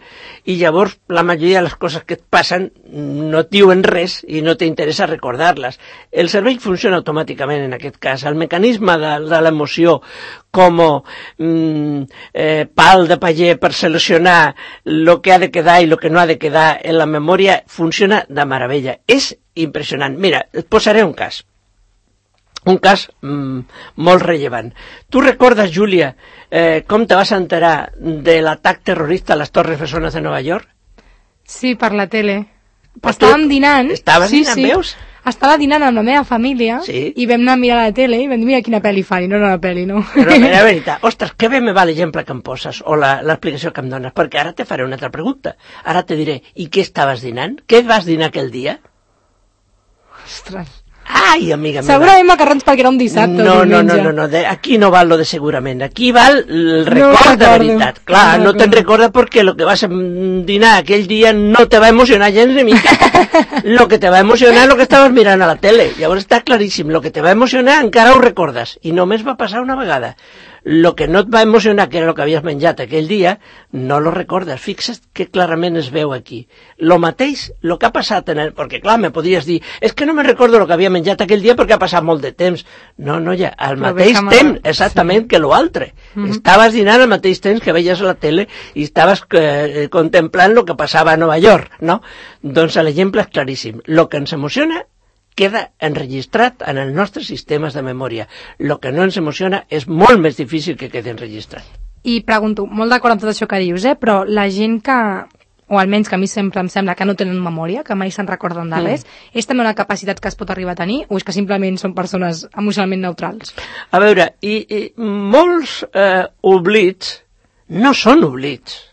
i llavors la majoria de les coses que et passen no et diuen res i no t'interessa recordar-les. El cervell funciona automàticament en aquest cas. El mecanisme de l'emoció com pal de paller per seleccionar el que ha de quedar i el que no ha de quedar en la memòria funciona de meravella. És impressionant. Mira, et posaré un cas molt rellevant. Tu recordes, Júlia, com te vas enterar de l'atac terrorista a les Torres Bessones de Nova York? Sí, per la tele. Estàvem dinant. Estaves dinant, veus? Estava dinant amb la meva família i vam anar a mirar la tele i vam dir, mira quina pel·li fan, i no era una pel·li, no. Però era veritat, ostres, que bé me va l'exemple que em poses o l'explicació que em dones, perquè ara te faré una altra pregunta. Ara te diré, i què estaves dinant? Què vas dinar aquell dia? Ostres. Ai, amiga meva. Segurament macarrons perquè era un dissabte. No, aquí no val lo de segurament, aquí val el record de veritat. Clar, no te'n recorda perquè el que vas dinar aquell dia no te va emocionar gens ni mica. Lo que te va emocionar és el que estaves mirant a la tele. Llavors està claríssim, lo que te va emocionar encara ho recordes, i només va passar una vegada. Lo que no et va emocionar, que era el que havies menjat aquell dia, no lo recordes. Fixa't que clarament es veu aquí. Lo mateix, lo que ha passat perquè clar, me podries dir, és que no me recordo lo que havia menjat aquell dia perquè ha passat molt de temps. No, ja, al mateix temps, exactament, que lo altre. Estaves dinant al mateix temps que veies a la tele i estaves contemplant lo que passava a Nova York, no? Doncs l'exemple és claríssim. Lo que ens emociona queda enregistrat en els nostres sistemes de memòria. El que no ens emociona és molt més difícil que quedi enregistrat. I pregunto, molt d'acord amb tot això que dius, però la gent que, o almenys que a mi sempre em sembla que no tenen memòria, que mai se'n recorden de res, és també una capacitat que es pot arribar a tenir, o és que simplement són persones emocionalment neutrals? A veure, i molts oblits no són oblits.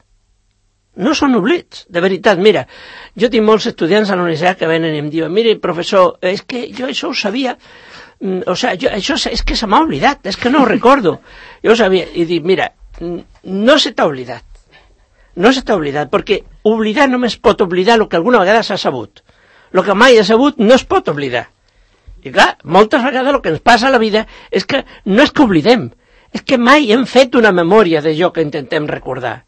No són oblits, de veritat. Mira, jo tinc molts estudiants a la universitat que venen i em diuen, mire, professor, és que jo això ho sabia, això és que se m'ha oblidat, és que no ho recordo. Jo ho sabia, i dic, mira, no se t'ha oblidat. no s'està oblidat, perquè oblidar només pot oblidar el que alguna vegada s'ha sabut. El que mai ha sabut no es pot oblidar. I clar, moltes vegades el que ens passa a la vida és que no és que oblidem, és que mai hem fet una memòria d'allò que intentem recordar.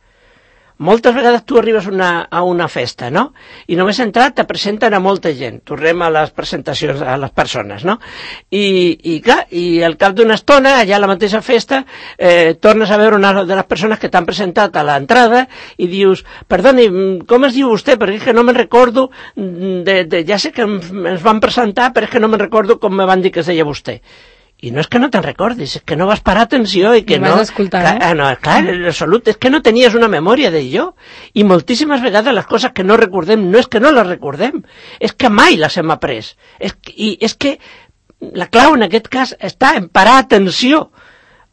Moltes vegades tu arribes a una festa, no? I només entrat te presenten a molta gent. Tornem a les presentacions a les persones, no? I clar, i al cap d'una estona, allà a la mateixa festa, tornes a veure una de les persones que t'han presentat a l'entrada i dius, perdoni, com es diu vostè? Perquè és que no me'n recordo, ja sé que ens van presentar, però és que no me'n recordo com me van dir que es deia vostè. I no és que no te'n recordis, és que no vas parar atenció i que no vas escoltar, clar, no, clar, en absolut, és que no tenies una memòria d'allò. I moltíssimes vegades les coses que no recordem no és que no les recordem, és que mai les hem après. I és que la clau en aquest cas està en parar atenció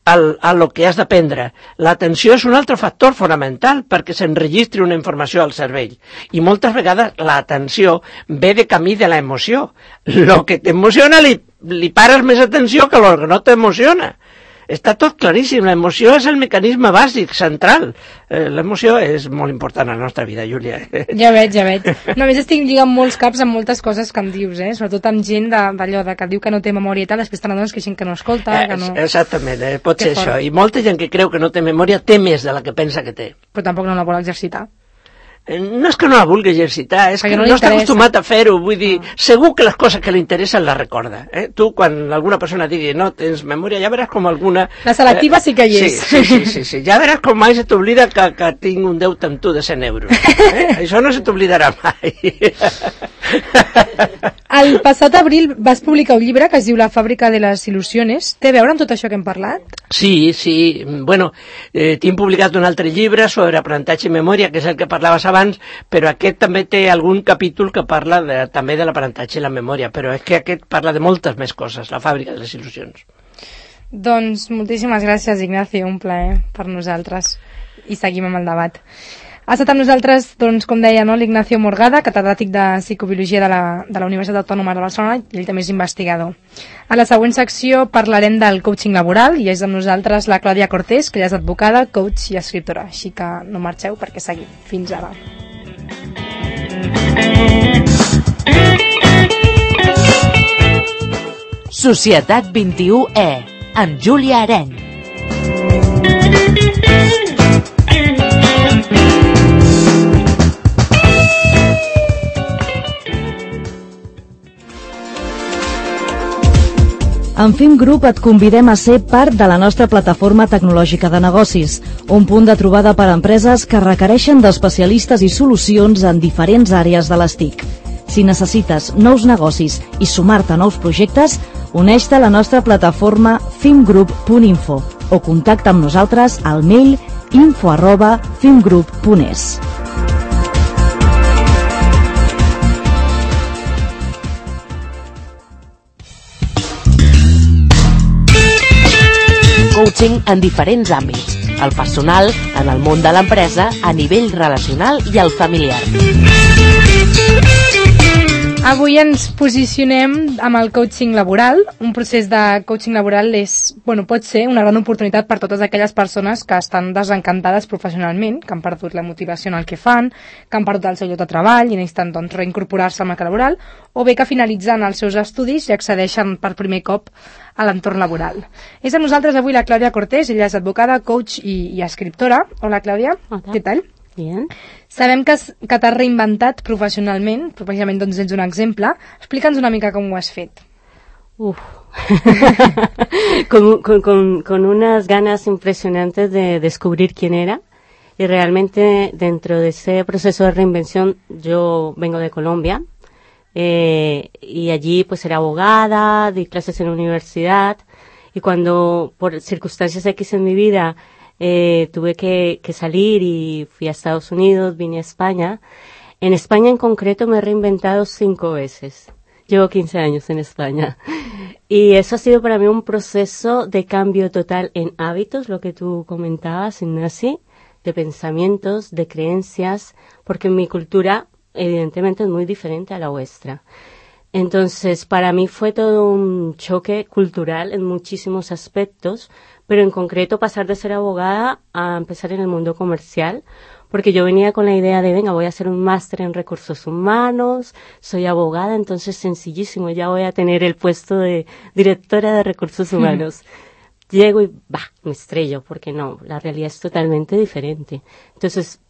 a lo que has d'aprendre. L'atenció és un altre factor fonamental perquè s'enregistri una informació al cervell. I moltes vegades l'atenció ve de camí de l'emoció. Lo que t'emociona li pares més atenció que el que no t'emociona. Està tot claríssim, l'emoció és el mecanisme bàsic, central. L'emoció és molt important a la nostra vida, Júlia. Ja veig. Només estic lligant molts caps amb moltes coses que em dius, sobretot amb gent d'allò que diu que no té memòria i tal, després te n'adones que hi ha gent que no escolta, que no... Exactament, pot ser això. I molta gent que creu que no té memòria té més de la que pensa que té. Però tampoc no la vol exercitar. No és que no la vulgui exercitar, és que no està acostumat a fer-ho, vull dir, segur que les coses que li interessen les recorda. Tu, quan alguna persona digui no tens memòria, ja veràs com alguna... La selectiva sí que hi és. Sí, ja veràs com mai se t'oblida que tinc un deute amb tu de 100 euros. Això no se t'oblidarà mai. El passat abril vas publicar un llibre que es diu La fàbrica de les il·lusiones. Té a veure amb tot això que hem parlat? Sí. Bueno, tinc publicat un altre llibre sobre aprenentatge i memòria, que és el que parlaves abans, però aquest també té algun capítol que parla també de l'aprenentatge i la memòria, però és que aquest parla de moltes més coses, La fàbrica de les il·lusions. Doncs moltíssimes gràcies, Ignacio, un plaer per nosaltres. I seguim amb el debat. Ha estat amb nosaltres, doncs, com deia, l'Ignacio Morgada, catedràtic de Psicobiologia de la Universitat Autònoma de Barcelona, i ell també és investigador. A la següent secció parlarem del coaching laboral, i és amb nosaltres la Clàudia Cortés, que ja és advocada, coach i escriptora. Així que no marxeu perquè seguim. Fins ara. Societat 21E, amb Júlia Areny. En Fim Group et convidem a ser part de la nostra plataforma tecnològica de negocis, un punt de trobada per a empreses que requereixen d'especialistes i solucions en diferents àrees de les TIC. Si necessites nous negocis i sumar-te a nous projectes, uneix-te a la nostra plataforma fimgroup.info o contacta amb nosaltres al mail info@fimgroup.es. Coaching en diferents àmbits, el personal, en el món de l'empresa, a nivell relacional i el familiar. Avui ens posicionem amb el coaching laboral. Un procés de coaching laboral pot ser una gran oportunitat per totes aquelles persones que estan desencantades professionalment, que han perdut la motivació en el que fan, que han perdut el seu lloc de treball i necessiten reincorporar-se al mercat laboral, o bé que finalitzen els seus estudis i accedeixen per primer cop a l'entorn laboral. És amb nosaltres avui la Clàudia Cortés, ella és advocada, coach i escriptora. Hola, Clàudia. Hola. Què tal? Bien. Sabem que t'has reinventat professionalment, precisament doncs ets un exemple. Explica'ns una mica com ho has fet. Con unas ganas impresionantes de descubrir quién era, y realmente dentro de ese proceso de reinvención yo vengo de Colombia, y allí pues era abogada, di clases en la universidad, y cuando por circunstancias X en mi vida tuve que salir y fui a Estados Unidos, vine a España. En España en concreto me he reinventado 5 veces. Llevo 15 años en España. Y eso ha sido para mí un proceso de cambio total en hábitos, lo que tú comentabas, Ignasi, de pensamientos, de creencias, porque mi cultura evidentemente es muy diferente a la vuestra. Entonces, para mí fue todo un choque cultural en muchísimos aspectos, pero en concreto pasar de ser abogada a empezar en el mundo comercial porque yo venía con la idea de, venga, voy a hacer un máster en recursos humanos, soy abogada, entonces sencillísimo, ya voy a tener el puesto de directora de recursos humanos. Llego y, me estrello, porque no, la realidad es totalmente diferente. Entonces,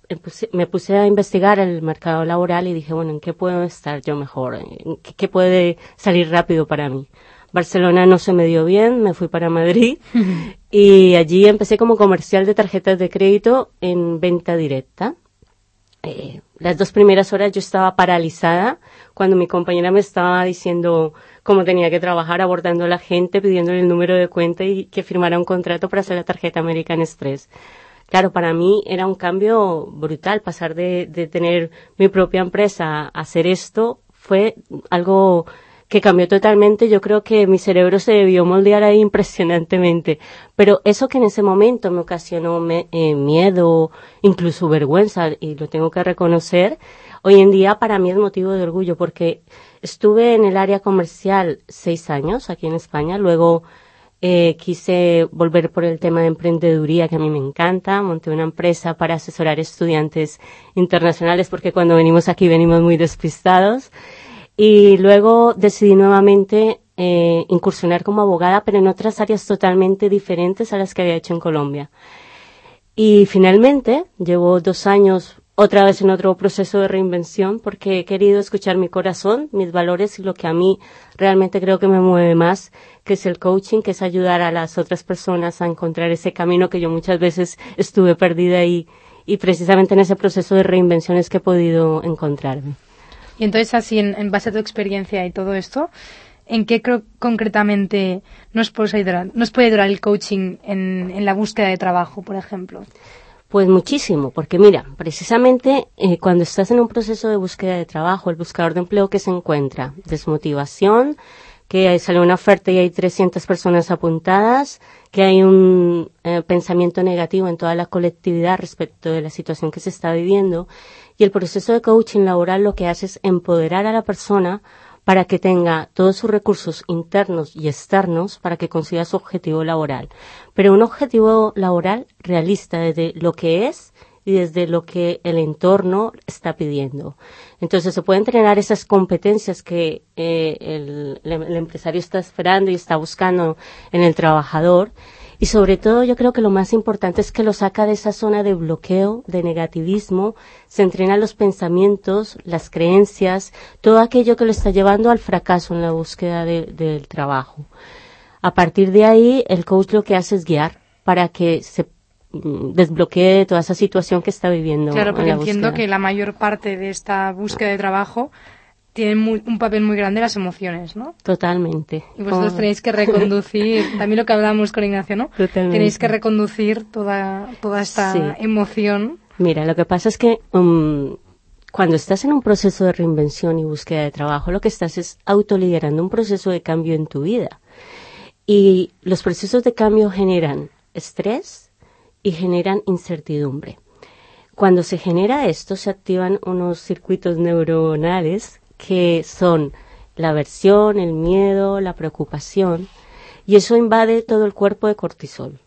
me puse a investigar el mercado laboral y dije, bueno, ¿en qué puedo estar yo mejor? ¿En qué puede salir rápido para mí? Barcelona no se me dio bien, me fui para Madrid y allí empecé como comercial de tarjetas de crédito en venta directa. Las 2 primeras horas yo estaba paralizada cuando mi compañera me estaba diciendo cómo tenía que trabajar, abordando a la gente, pidiéndole el número de cuenta y que firmara un contrato para hacer la tarjeta American Express. Claro, para mí era un cambio brutal, pasar de tener mi propia empresa a hacer esto fue algo que cambió totalmente. Yo creo que mi cerebro se debió moldear ahí impresionantemente. Pero eso que en ese momento me ocasionó miedo, incluso vergüenza, y lo tengo que reconocer, hoy en día para mí es motivo de orgullo, porque estuve en el área comercial 6 años aquí en España, luego quise volver por el tema de emprendeduría, que a mí me encanta. Monté una empresa para asesorar estudiantes internacionales, porque cuando venimos aquí venimos muy despistados. Y luego decidí nuevamente incursionar como abogada, pero en otras áreas totalmente diferentes a las que había hecho en Colombia. Y finalmente llevo 2 años otra vez en otro proceso de reinvención, porque he querido escuchar mi corazón, mis valores y lo que a mí realmente creo que me mueve más, que es el coaching, que es ayudar a las otras personas a encontrar ese camino que yo muchas veces estuve perdida y precisamente en ese proceso de reinvención es que he podido encontrarme. Y entonces, así, en base a tu experiencia y todo esto, ¿en qué concretamente nos puede ayudar el coaching en la búsqueda de trabajo, por ejemplo? Pues muchísimo, porque mira, precisamente cuando estás en un proceso de búsqueda de trabajo, el buscador de empleo, ¿qué se encuentra? Desmotivación, que sale una oferta y hay 300 personas apuntadas, que hay un pensamiento negativo en toda la colectividad respecto de la situación que se está viviendo. Y el proceso de coaching laboral lo que hace es empoderar a la persona para que tenga todos sus recursos internos y externos para que consiga su objetivo laboral. Pero un objetivo laboral realista desde lo que es y desde lo que el entorno está pidiendo. Entonces se pueden entrenar esas competencias que el empresario está esperando y está buscando en el trabajador. Y sobre todo yo creo que lo más importante es que lo saca de esa zona de bloqueo, de negativismo, se entrena los pensamientos, las creencias, todo aquello que lo está llevando al fracaso en la búsqueda del trabajo. A partir de ahí, el coach lo que hace es guiar para que se desbloquee toda esa situación que está viviendo. Claro, porque entiendo que la mayor parte de esta búsqueda de trabajo tienen un papel muy grande las emociones, ¿no? Totalmente. Y vosotros tenéis que reconducir, también lo que hablábamos con Ignacio, ¿no? Totalmente. Tenéis que reconducir toda esta emoción. Mira, lo que pasa es que cuando estás en un proceso de reinvención y búsqueda de trabajo, lo que estás es autoliderando un proceso de cambio en tu vida. Y los procesos de cambio generan estrés y generan incertidumbre. Cuando se genera esto, se activan unos circuitos neuronales que son la aversión, el miedo, la preocupación, y eso invade todo el cuerpo de cortisol.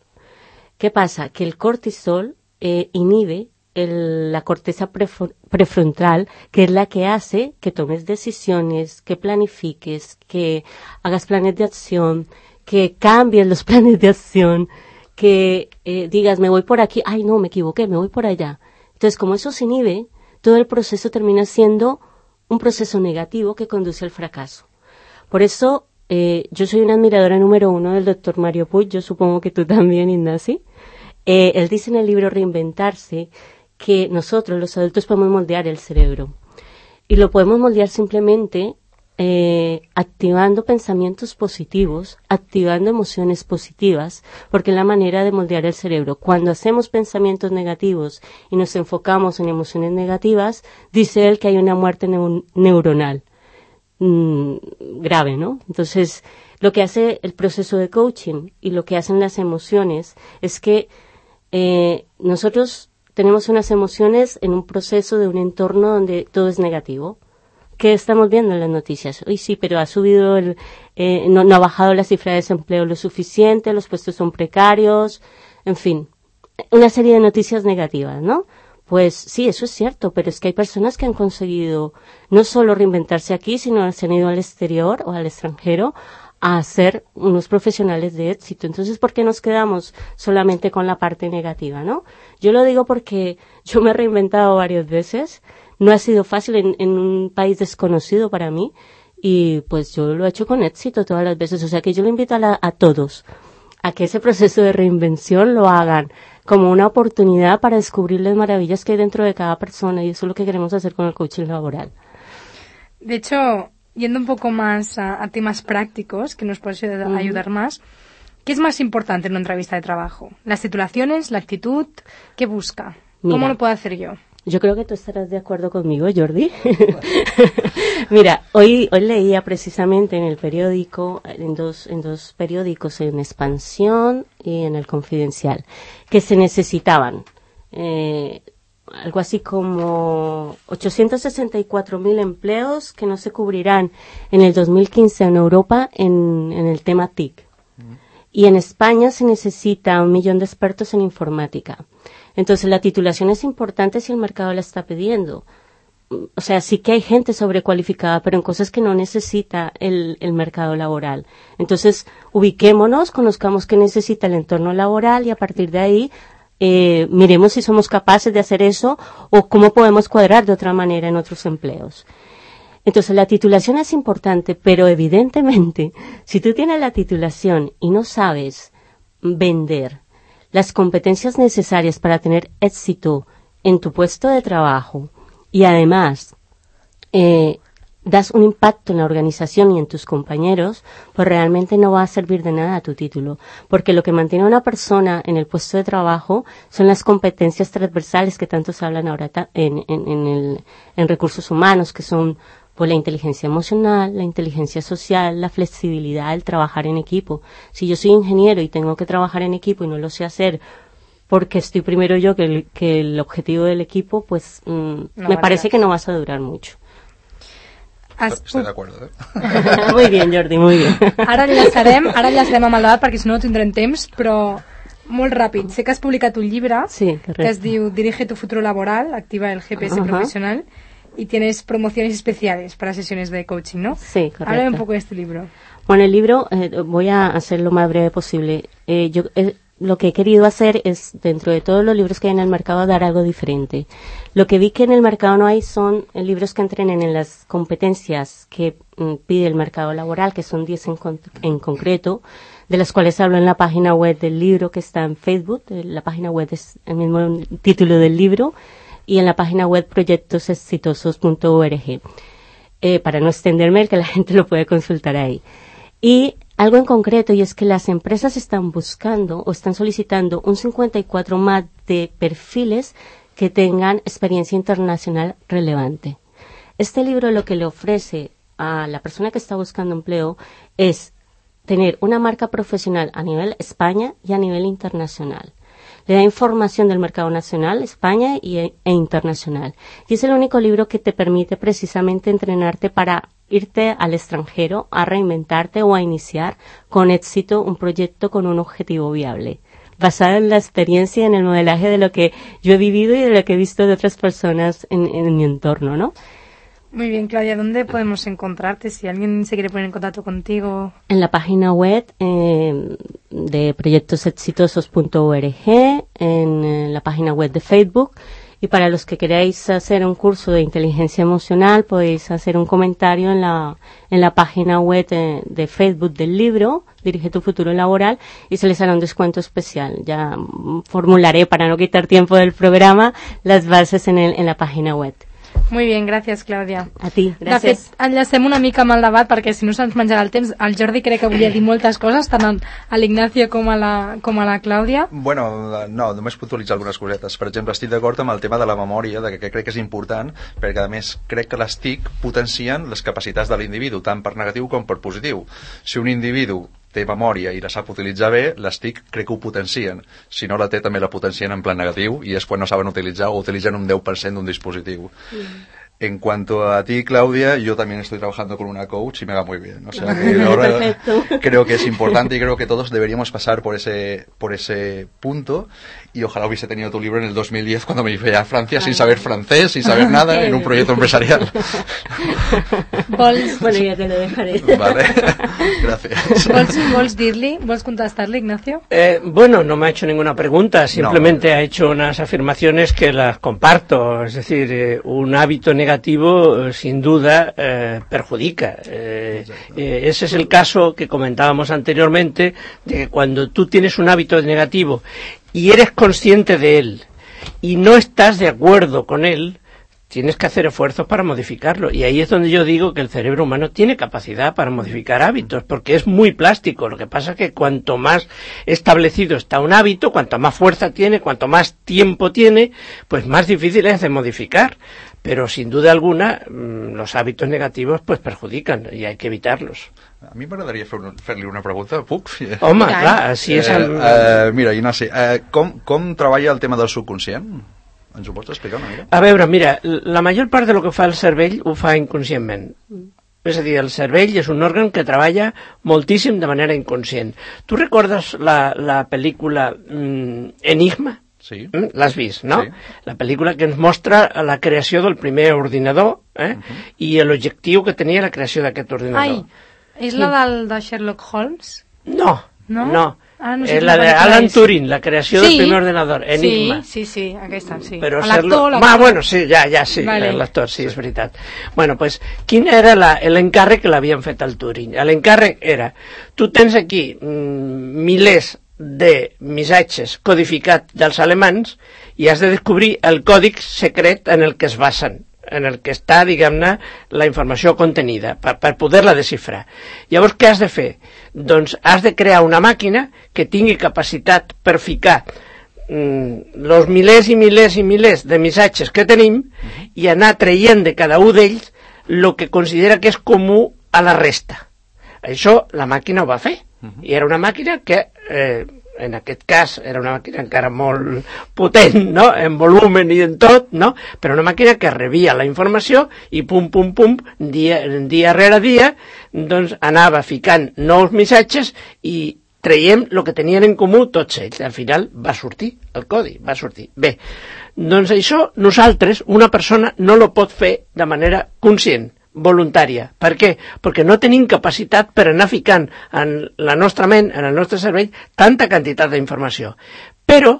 ¿Qué pasa? Que el cortisol inhibe la corteza prefrontal, que es la que hace que tomes decisiones, que planifiques, que hagas planes de acción, que cambies los planes de acción, que digas, me voy por aquí, ay no, me equivoqué, me voy por allá. Entonces, como eso se inhibe, todo el proceso termina siendo un proceso negativo que conduce al fracaso. Por eso, yo soy una admiradora número 1 del doctor Mario Puig, yo supongo que tú también, Ignacio. Él dice en el libro Reinventarse que nosotros, los adultos, podemos moldear el cerebro. Y lo podemos moldear simplemente activando pensamientos positivos, activando emociones positivas, porque es la manera de moldear el cerebro. Cuando hacemos pensamientos negativos y nos enfocamos en emociones negativas, dice él que hay una muerte neuronal grave, ¿no? Entonces, lo que hace el proceso de coaching y lo que hacen las emociones es que nosotros tenemos unas emociones en un proceso de un entorno donde todo es negativo. ¿Qué estamos viendo en las noticias? Uy, sí, pero ha subido no ha bajado la cifra de desempleo lo suficiente, los puestos son precarios, en fin, una serie de noticias negativas, ¿no? Pues sí, eso es cierto, pero es que hay personas que han conseguido no solo reinventarse aquí, sino se han ido al exterior o al extranjero a ser unos profesionales de éxito. Entonces, ¿por qué nos quedamos solamente con la parte negativa, no? Yo lo digo porque yo me he reinventado varias veces. No ha sido fácil en un país desconocido para mí y pues yo lo he hecho con éxito todas las veces. O sea que yo lo invito a todos a que ese proceso de reinvención lo hagan como una oportunidad para descubrir las maravillas que hay dentro de cada persona, y eso es lo que queremos hacer con el coaching laboral. De hecho, yendo un poco más a temas prácticos que nos puede ayudar más, ¿qué es más importante en una entrevista de trabajo? ¿Las titulaciones, la actitud? ¿Qué busca? ¿Cómo lo puedo hacer yo? Yo creo que tú estarás de acuerdo conmigo, Jordi. Mira, hoy leía precisamente en el periódico, en dos periódicos, en Expansión y en El Confidencial, que se necesitaban algo así como 864.000 empleos que no se cubrirán en el 2015 en Europa en el tema TIC. Y en España se necesita 1 millón de expertos en informática. Entonces, la titulación es importante si el mercado la está pidiendo. O sea, sí que hay gente sobrecualificada, pero en cosas que no necesita el mercado laboral. Entonces, ubiquémonos, conozcamos qué necesita el entorno laboral y a partir de ahí miremos si somos capaces de hacer eso o cómo podemos cuadrar de otra manera en otros empleos. Entonces, la titulación es importante, pero evidentemente, si tú tienes la titulación y no sabes vender las competencias necesarias para tener éxito en tu puesto de trabajo y además das un impacto en la organización y en tus compañeros, pues realmente no va a servir de nada tu título, porque lo que mantiene a una persona en el puesto de trabajo son las competencias transversales que tanto se hablan ahora en recursos humanos, que son pues la inteligencia emocional, la inteligencia social, la flexibilidad, el trabajar en equipo. Si yo soy ingeniero y tengo que trabajar en equipo y no lo sé hacer porque estoy primero yo que el objetivo del equipo, pues me parece que no vas a durar mucho. Estoy de acuerdo, Muy bien, Jordi, muy bien. Ara enllaçarem amb el debat perquè si no no tindrem temps, però molt ràpid. Sé que has publicat un llibre que es diu Dirige tu futuro laboral, activa el GPS profesional, y tienes promociones especiales para sesiones de coaching, ¿no? Sí, correcto. Háblame un poco de este libro. Bueno, el libro voy a hacer lo más breve posible. Lo que he querido hacer es, dentro de todos los libros que hay en el mercado, dar algo diferente. Lo que vi que en el mercado no hay son libros que entrenen en las competencias que pide el mercado laboral, que son 10 en concreto, de las cuales hablo en la página web del libro que está en Facebook. La página web es el mismo título del libro, y en la página web proyectosexitosos.org. Para no extenderme, que la gente lo puede consultar ahí. Y algo en concreto, y es que las empresas están buscando o están solicitando un 54 más de perfiles que tengan experiencia internacional relevante. Este libro lo que le ofrece a la persona que está buscando empleo es tener una marca profesional a nivel España y a nivel internacional. Le da información del mercado nacional, España e internacional. Y es el único libro que te permite precisamente entrenarte para irte al extranjero, a reinventarte o a iniciar con éxito un proyecto con un objetivo viable, basado en la experiencia y en el modelaje de lo que yo he vivido y de lo que he visto de otras personas en mi entorno, ¿no? Muy bien, Claudia, ¿dónde podemos encontrarte si alguien se quiere poner en contacto contigo? En la página web de proyectosexitosos.org, en la página web de Facebook, y para los que queráis hacer un curso de inteligencia emocional podéis hacer un comentario en la página web de Facebook del libro Dirige tu futuro laboral y se les hará un descuento especial. Ya formularé, para no quitar tiempo del programa, las bases en la página web. Muy bien, gràcies, Clàudia. A ti, gràcies. De fet, enllacem una mica amb el debat perquè si no se'ns menjarà el temps. El Jordi crec que volia dir moltes coses, tant a l'Ignacio com a la Clàudia. Bueno, no, només puntualitzar algunes cosetes. Per exemple, estic d'acord amb el tema de la memòria, que crec que és important, perquè a més crec que les TIC potencien les capacitats de l'individu, tant per negatiu com per positiu. Si un individu té memòria i la sap utilitzar bé, les TIC crec que ho potencien. Si no la té, també la potencien en plan negatiu, i és quan no saben utilitzar o utilitzen un 10% d'un dispositiu. En cuanto a ti, Claudia, yo también estoy trabajando con una coach y me va muy bien. O sea, que ahora creo que es importante y creo que todos deberíamos pasar por ese punto. Y ojalá hubiese tenido tu libro en el 2010 cuando me fui a Francia sin saber francés, sin saber nada, en un proyecto empresarial. Bueno, ya te lo dejaré. Vale, gracias. ¿Vols contestar-li, Ignacio? Bueno, no me ha hecho ninguna pregunta, simplemente ha hecho unas afirmaciones que las comparto. Es decir, un hábito negativo sin duda perjudica. Ese es el caso que comentábamos anteriormente, de que cuando tú tienes un hábito negativo y eres consciente de él y no estás de acuerdo con él, tienes que hacer esfuerzos para modificarlo. Y ahí es donde yo digo que el cerebro humano tiene capacidad para modificar hábitos, porque es muy plástico. Lo que pasa es que cuanto más establecido está un hábito, cuanto más fuerza tiene, cuanto más tiempo tiene, pues más difícil es de modificar. Pero sin duda alguna los hábitos negativos pues perjudican y hay que evitarlos. A mi m'agradaria fer-li una pregunta, puc? Home, clar, si és... Mira, Ignasi, com treballa el tema del subconscient? Ens ho pots explicar una mica? A veure, mira, la major part de lo que fa el cervell ho fa inconscientment. És a dir, el cervell és un òrgan que treballa moltíssim de manera inconscient. Tu recordes la pel·lícula Enigma? Sí. L'has vist, no? Sí. La pel·lícula que ens mostra la creació del primer ordinador i l'objectiu que tenia la creació d'aquest ordinador. Ai, és la de Sherlock Holmes? No. Ah, no és la d'Alan Turing, la creació del primer ordenador, Enigma. Sí, aquesta, sí. Però l'actor... bueno, sí, sí, vale. L'actor, sí, és veritat. Bueno, pues, quin era l'encàrrec que l'havien fet al Turing? L'encàrrec era, tu tens aquí milers de missatges codificats dels alemans i has de descobrir el còdic secret en el que es basen, en el que està, diguem-ne, la informació contenida, per poder-la desxifrar. Llavors, què has de fer? Doncs has de crear una màquina que tingui capacitat per ficar els milers i milers i milers de missatges que tenim i anar traient de cada un d'ells el que considera que és comú a la resta. Això la màquina ho va fer. I era una màquina que, en aquest cas, era una màquina encara molt potent, no?, en volumen i en tot, no?, però una màquina que rebia la informació i pum, dia rere dia, doncs anava ficant nous missatges i traiem el que tenien en comú tots ells. Al final va sortir el codi, va sortir. Bé, doncs això nosaltres, una persona, no lo pot fer de manera conscient, voluntària. Per què? Perquè no tenim capacitat per anar ficant en la nostra ment, en el nostre cervell, tanta quantitat d'informació. Però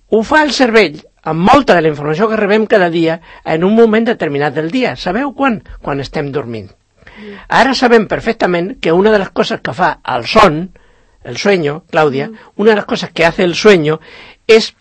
ho fa el cervell amb molta de la informació que rebem cada dia en un moment determinat del dia. Sabeu quan? Quan estem dormint. Ara sabem perfectament que una de les coses que fa el son, el sueño, Claudia, una de las cosas que hace el sueño es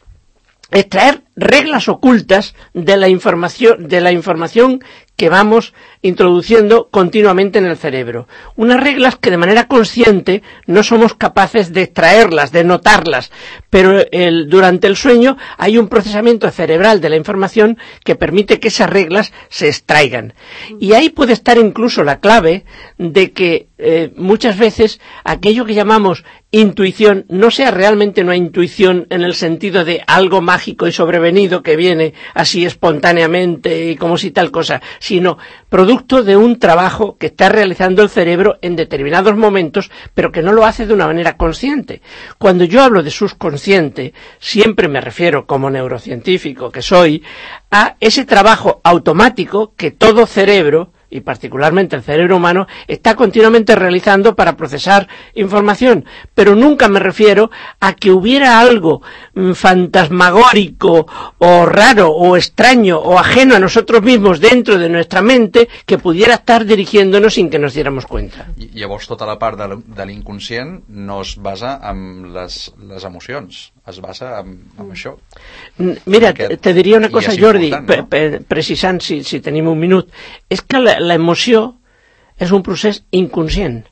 extraer reglas ocultas de la información que vamos introduciendo continuamente en el cerebro. Unas reglas que de manera consciente no somos capaces de extraerlas, de notarlas, pero durante el sueño hay un procesamiento cerebral de la información que permite que esas reglas se extraigan. Y ahí puede estar incluso la clave de que muchas veces aquello que llamamos intuición no sea realmente una intuición en el sentido de algo mágico y sobrevenido que viene así espontáneamente y como si tal cosa, sino producto de un trabajo que está realizando el cerebro en determinados momentos, pero que no lo hace de una manera consciente. Cuando yo hablo de subconsciente, siempre me refiero, como neurocientífico que soy, a ese trabajo automático que todo cerebro, y particularmente el cerebro humano, está continuamente realizando para procesar información, pero nunca me refiero a que hubiera algo fantasmagórico o raro o extraño o ajeno a nosotros mismos dentro de nuestra mente que pudiera estar dirigiéndonos sin que nos diéramos cuenta. Llavors tota la part de l'inconscient no es basa en les emocions, es basa en això. Mira, te diria una cosa, Jordi, precisant si tenim un minut, és que la emoció és un procés inconscient,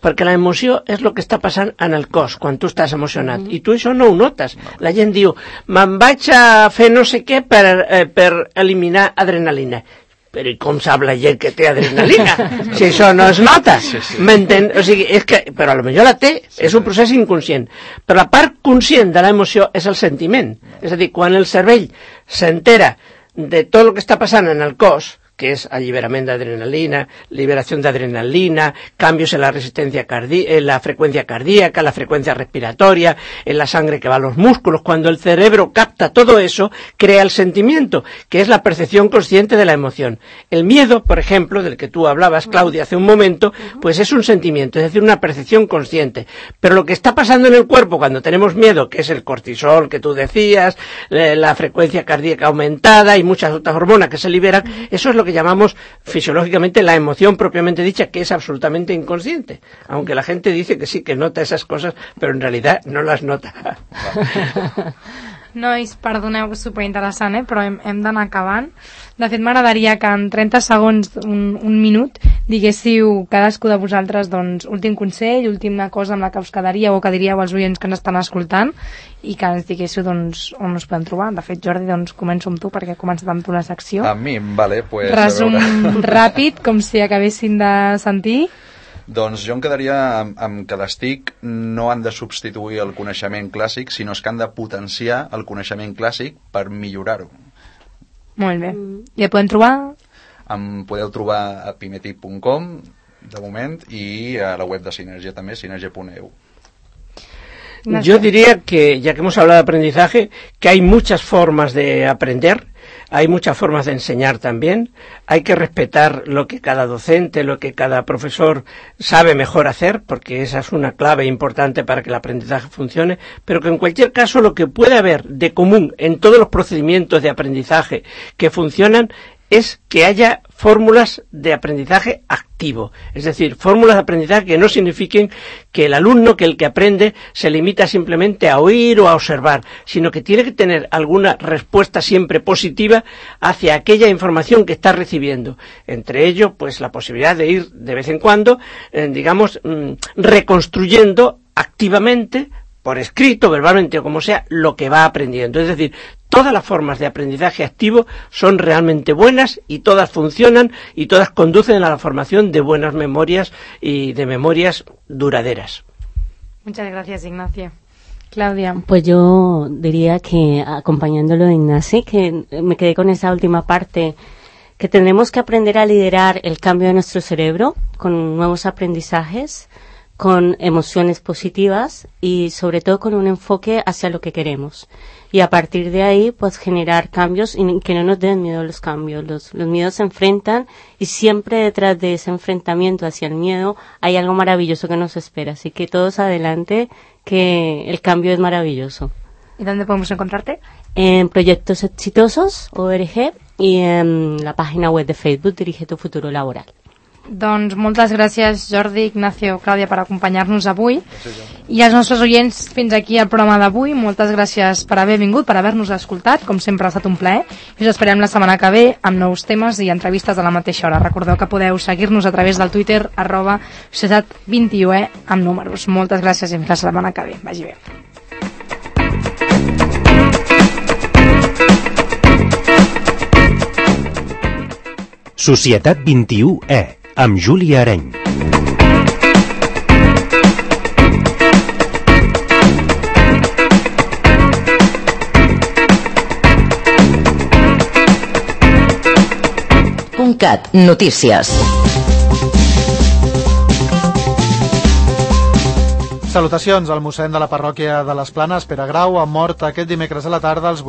perquè la emoció és el que està passant en el cos quan tu estàs emocionat, i tu això no ho notes. La gent diu, me'n vaig a fer no sé què per eliminar adrenalina. Però i com sap la gent que té adrenalina? Si això no es nota, m'entén? O sigui, és que, però potser la té, és un procés inconscient. Però la part conscient de l'emoció és el sentiment. És a dir, quan el cervell s'entera de tot el que està passant en el cos, que es alliberamiento de adrenalina, liberación de adrenalina, cambios en la resistencia en la frecuencia cardíaca, la frecuencia respiratoria, en la sangre que va a los músculos. Cuando el cerebro capta todo eso, crea el sentimiento, que es la percepción consciente de la emoción. El miedo, por ejemplo, del que tú hablabas, Claudia, hace un momento, pues es un sentimiento, es decir, una percepción consciente. Pero lo que está pasando en el cuerpo cuando tenemos miedo, que es el cortisol que tú decías, la frecuencia cardíaca aumentada y muchas otras hormonas que se liberan, eso es lo que llamamos fisiológicamente la emoción propiamente dicha, que es absolutamente inconsciente. Aunque la gente dice que sí, que nota esas cosas, pero en realidad no las nota. Nois, perdoneu, superinteressant, però hem d'anar acabant. De fet, m'agradaria que en 30 segons, un minut, diguéssiu cadascú de vosaltres, doncs, últim consell, última cosa amb la que us quedaríeu o que diríeu als oients que ens estan escoltant i que ens diguéssiu, doncs, on us podem trobar. De fet, Jordi, doncs, començo amb tu, perquè he començat amb tu la secció. A mi, vale, pues... Resum ràpid, com si acabessin de sentir. Doncs jo em quedaria amb que les TIC no han de substituir el coneixement clàssic, sinó que han de potenciar el coneixement clàssic per millorar-ho. Molt bé. I el podem trobar? Em podeu trobar a pimetic.com, de moment, i a la web de Sinergia també, sinergia.eu. Yo diría que, ya que hemos hablado de aprendizaje, que hay muchas formas de aprender, hay muchas formas de enseñar también, hay que respetar lo que cada docente, lo que cada profesor sabe mejor hacer, porque esa es una clave importante para que el aprendizaje funcione, pero que en cualquier caso lo que puede haber de común en todos los procedimientos de aprendizaje que funcionan es que haya fórmulas de aprendizaje activo, es decir, fórmulas de aprendizaje que no signifiquen que el alumno, que el que aprende, se limita simplemente a oír o a observar, sino que tiene que tener alguna respuesta siempre positiva hacia aquella información que está recibiendo. Entre ello, pues la posibilidad de ir de vez en cuando, digamos, reconstruyendo activamente, por escrito, verbalmente o como sea, lo que va aprendiendo. Es decir, todas las formas de aprendizaje activo son realmente buenas y todas funcionan y todas conducen a la formación de buenas memorias y de memorias duraderas. Muchas gracias, Ignacio. Claudia. Pues yo diría que, acompañándolo de Ignacio, que me quedé con esa última parte, que tendremos que aprender a liderar el cambio de nuestro cerebro con nuevos aprendizajes, con emociones positivas y sobre todo con un enfoque hacia lo que queremos. Y a partir de ahí, pues generar cambios y que no nos den miedo los cambios. Los miedos se enfrentan y siempre detrás de ese enfrentamiento hacia el miedo hay algo maravilloso que nos espera. Así que todos adelante, que el cambio es maravilloso. ¿Y dónde podemos encontrarte? En Proyectos Exitosos, ORG, y en la página web de Facebook, Dirige tu Futuro Laboral. Doncs moltes gràcies, Jordi, Ignacio, Clàudia, per acompanyar-nos avui. I als nostres oients, fins aquí el programa d'avui. Moltes gràcies per haver vingut, per haver-nos escoltat. Com sempre ha estat un plaer. I us esperem la setmana que ve amb nous temes i entrevistes a la mateixa hora. Recordeu que podeu seguir-nos a través del Twitter @societat21 amb números. Moltes gràcies i fins la setmana que ve. Vagi bé. Societat 21E, amb Júlia Areny. .cat, notícies. Salutacions al mossèn de la parròquia de les Planes, Pere Grau, ha mort aquest dimecres a la tarda als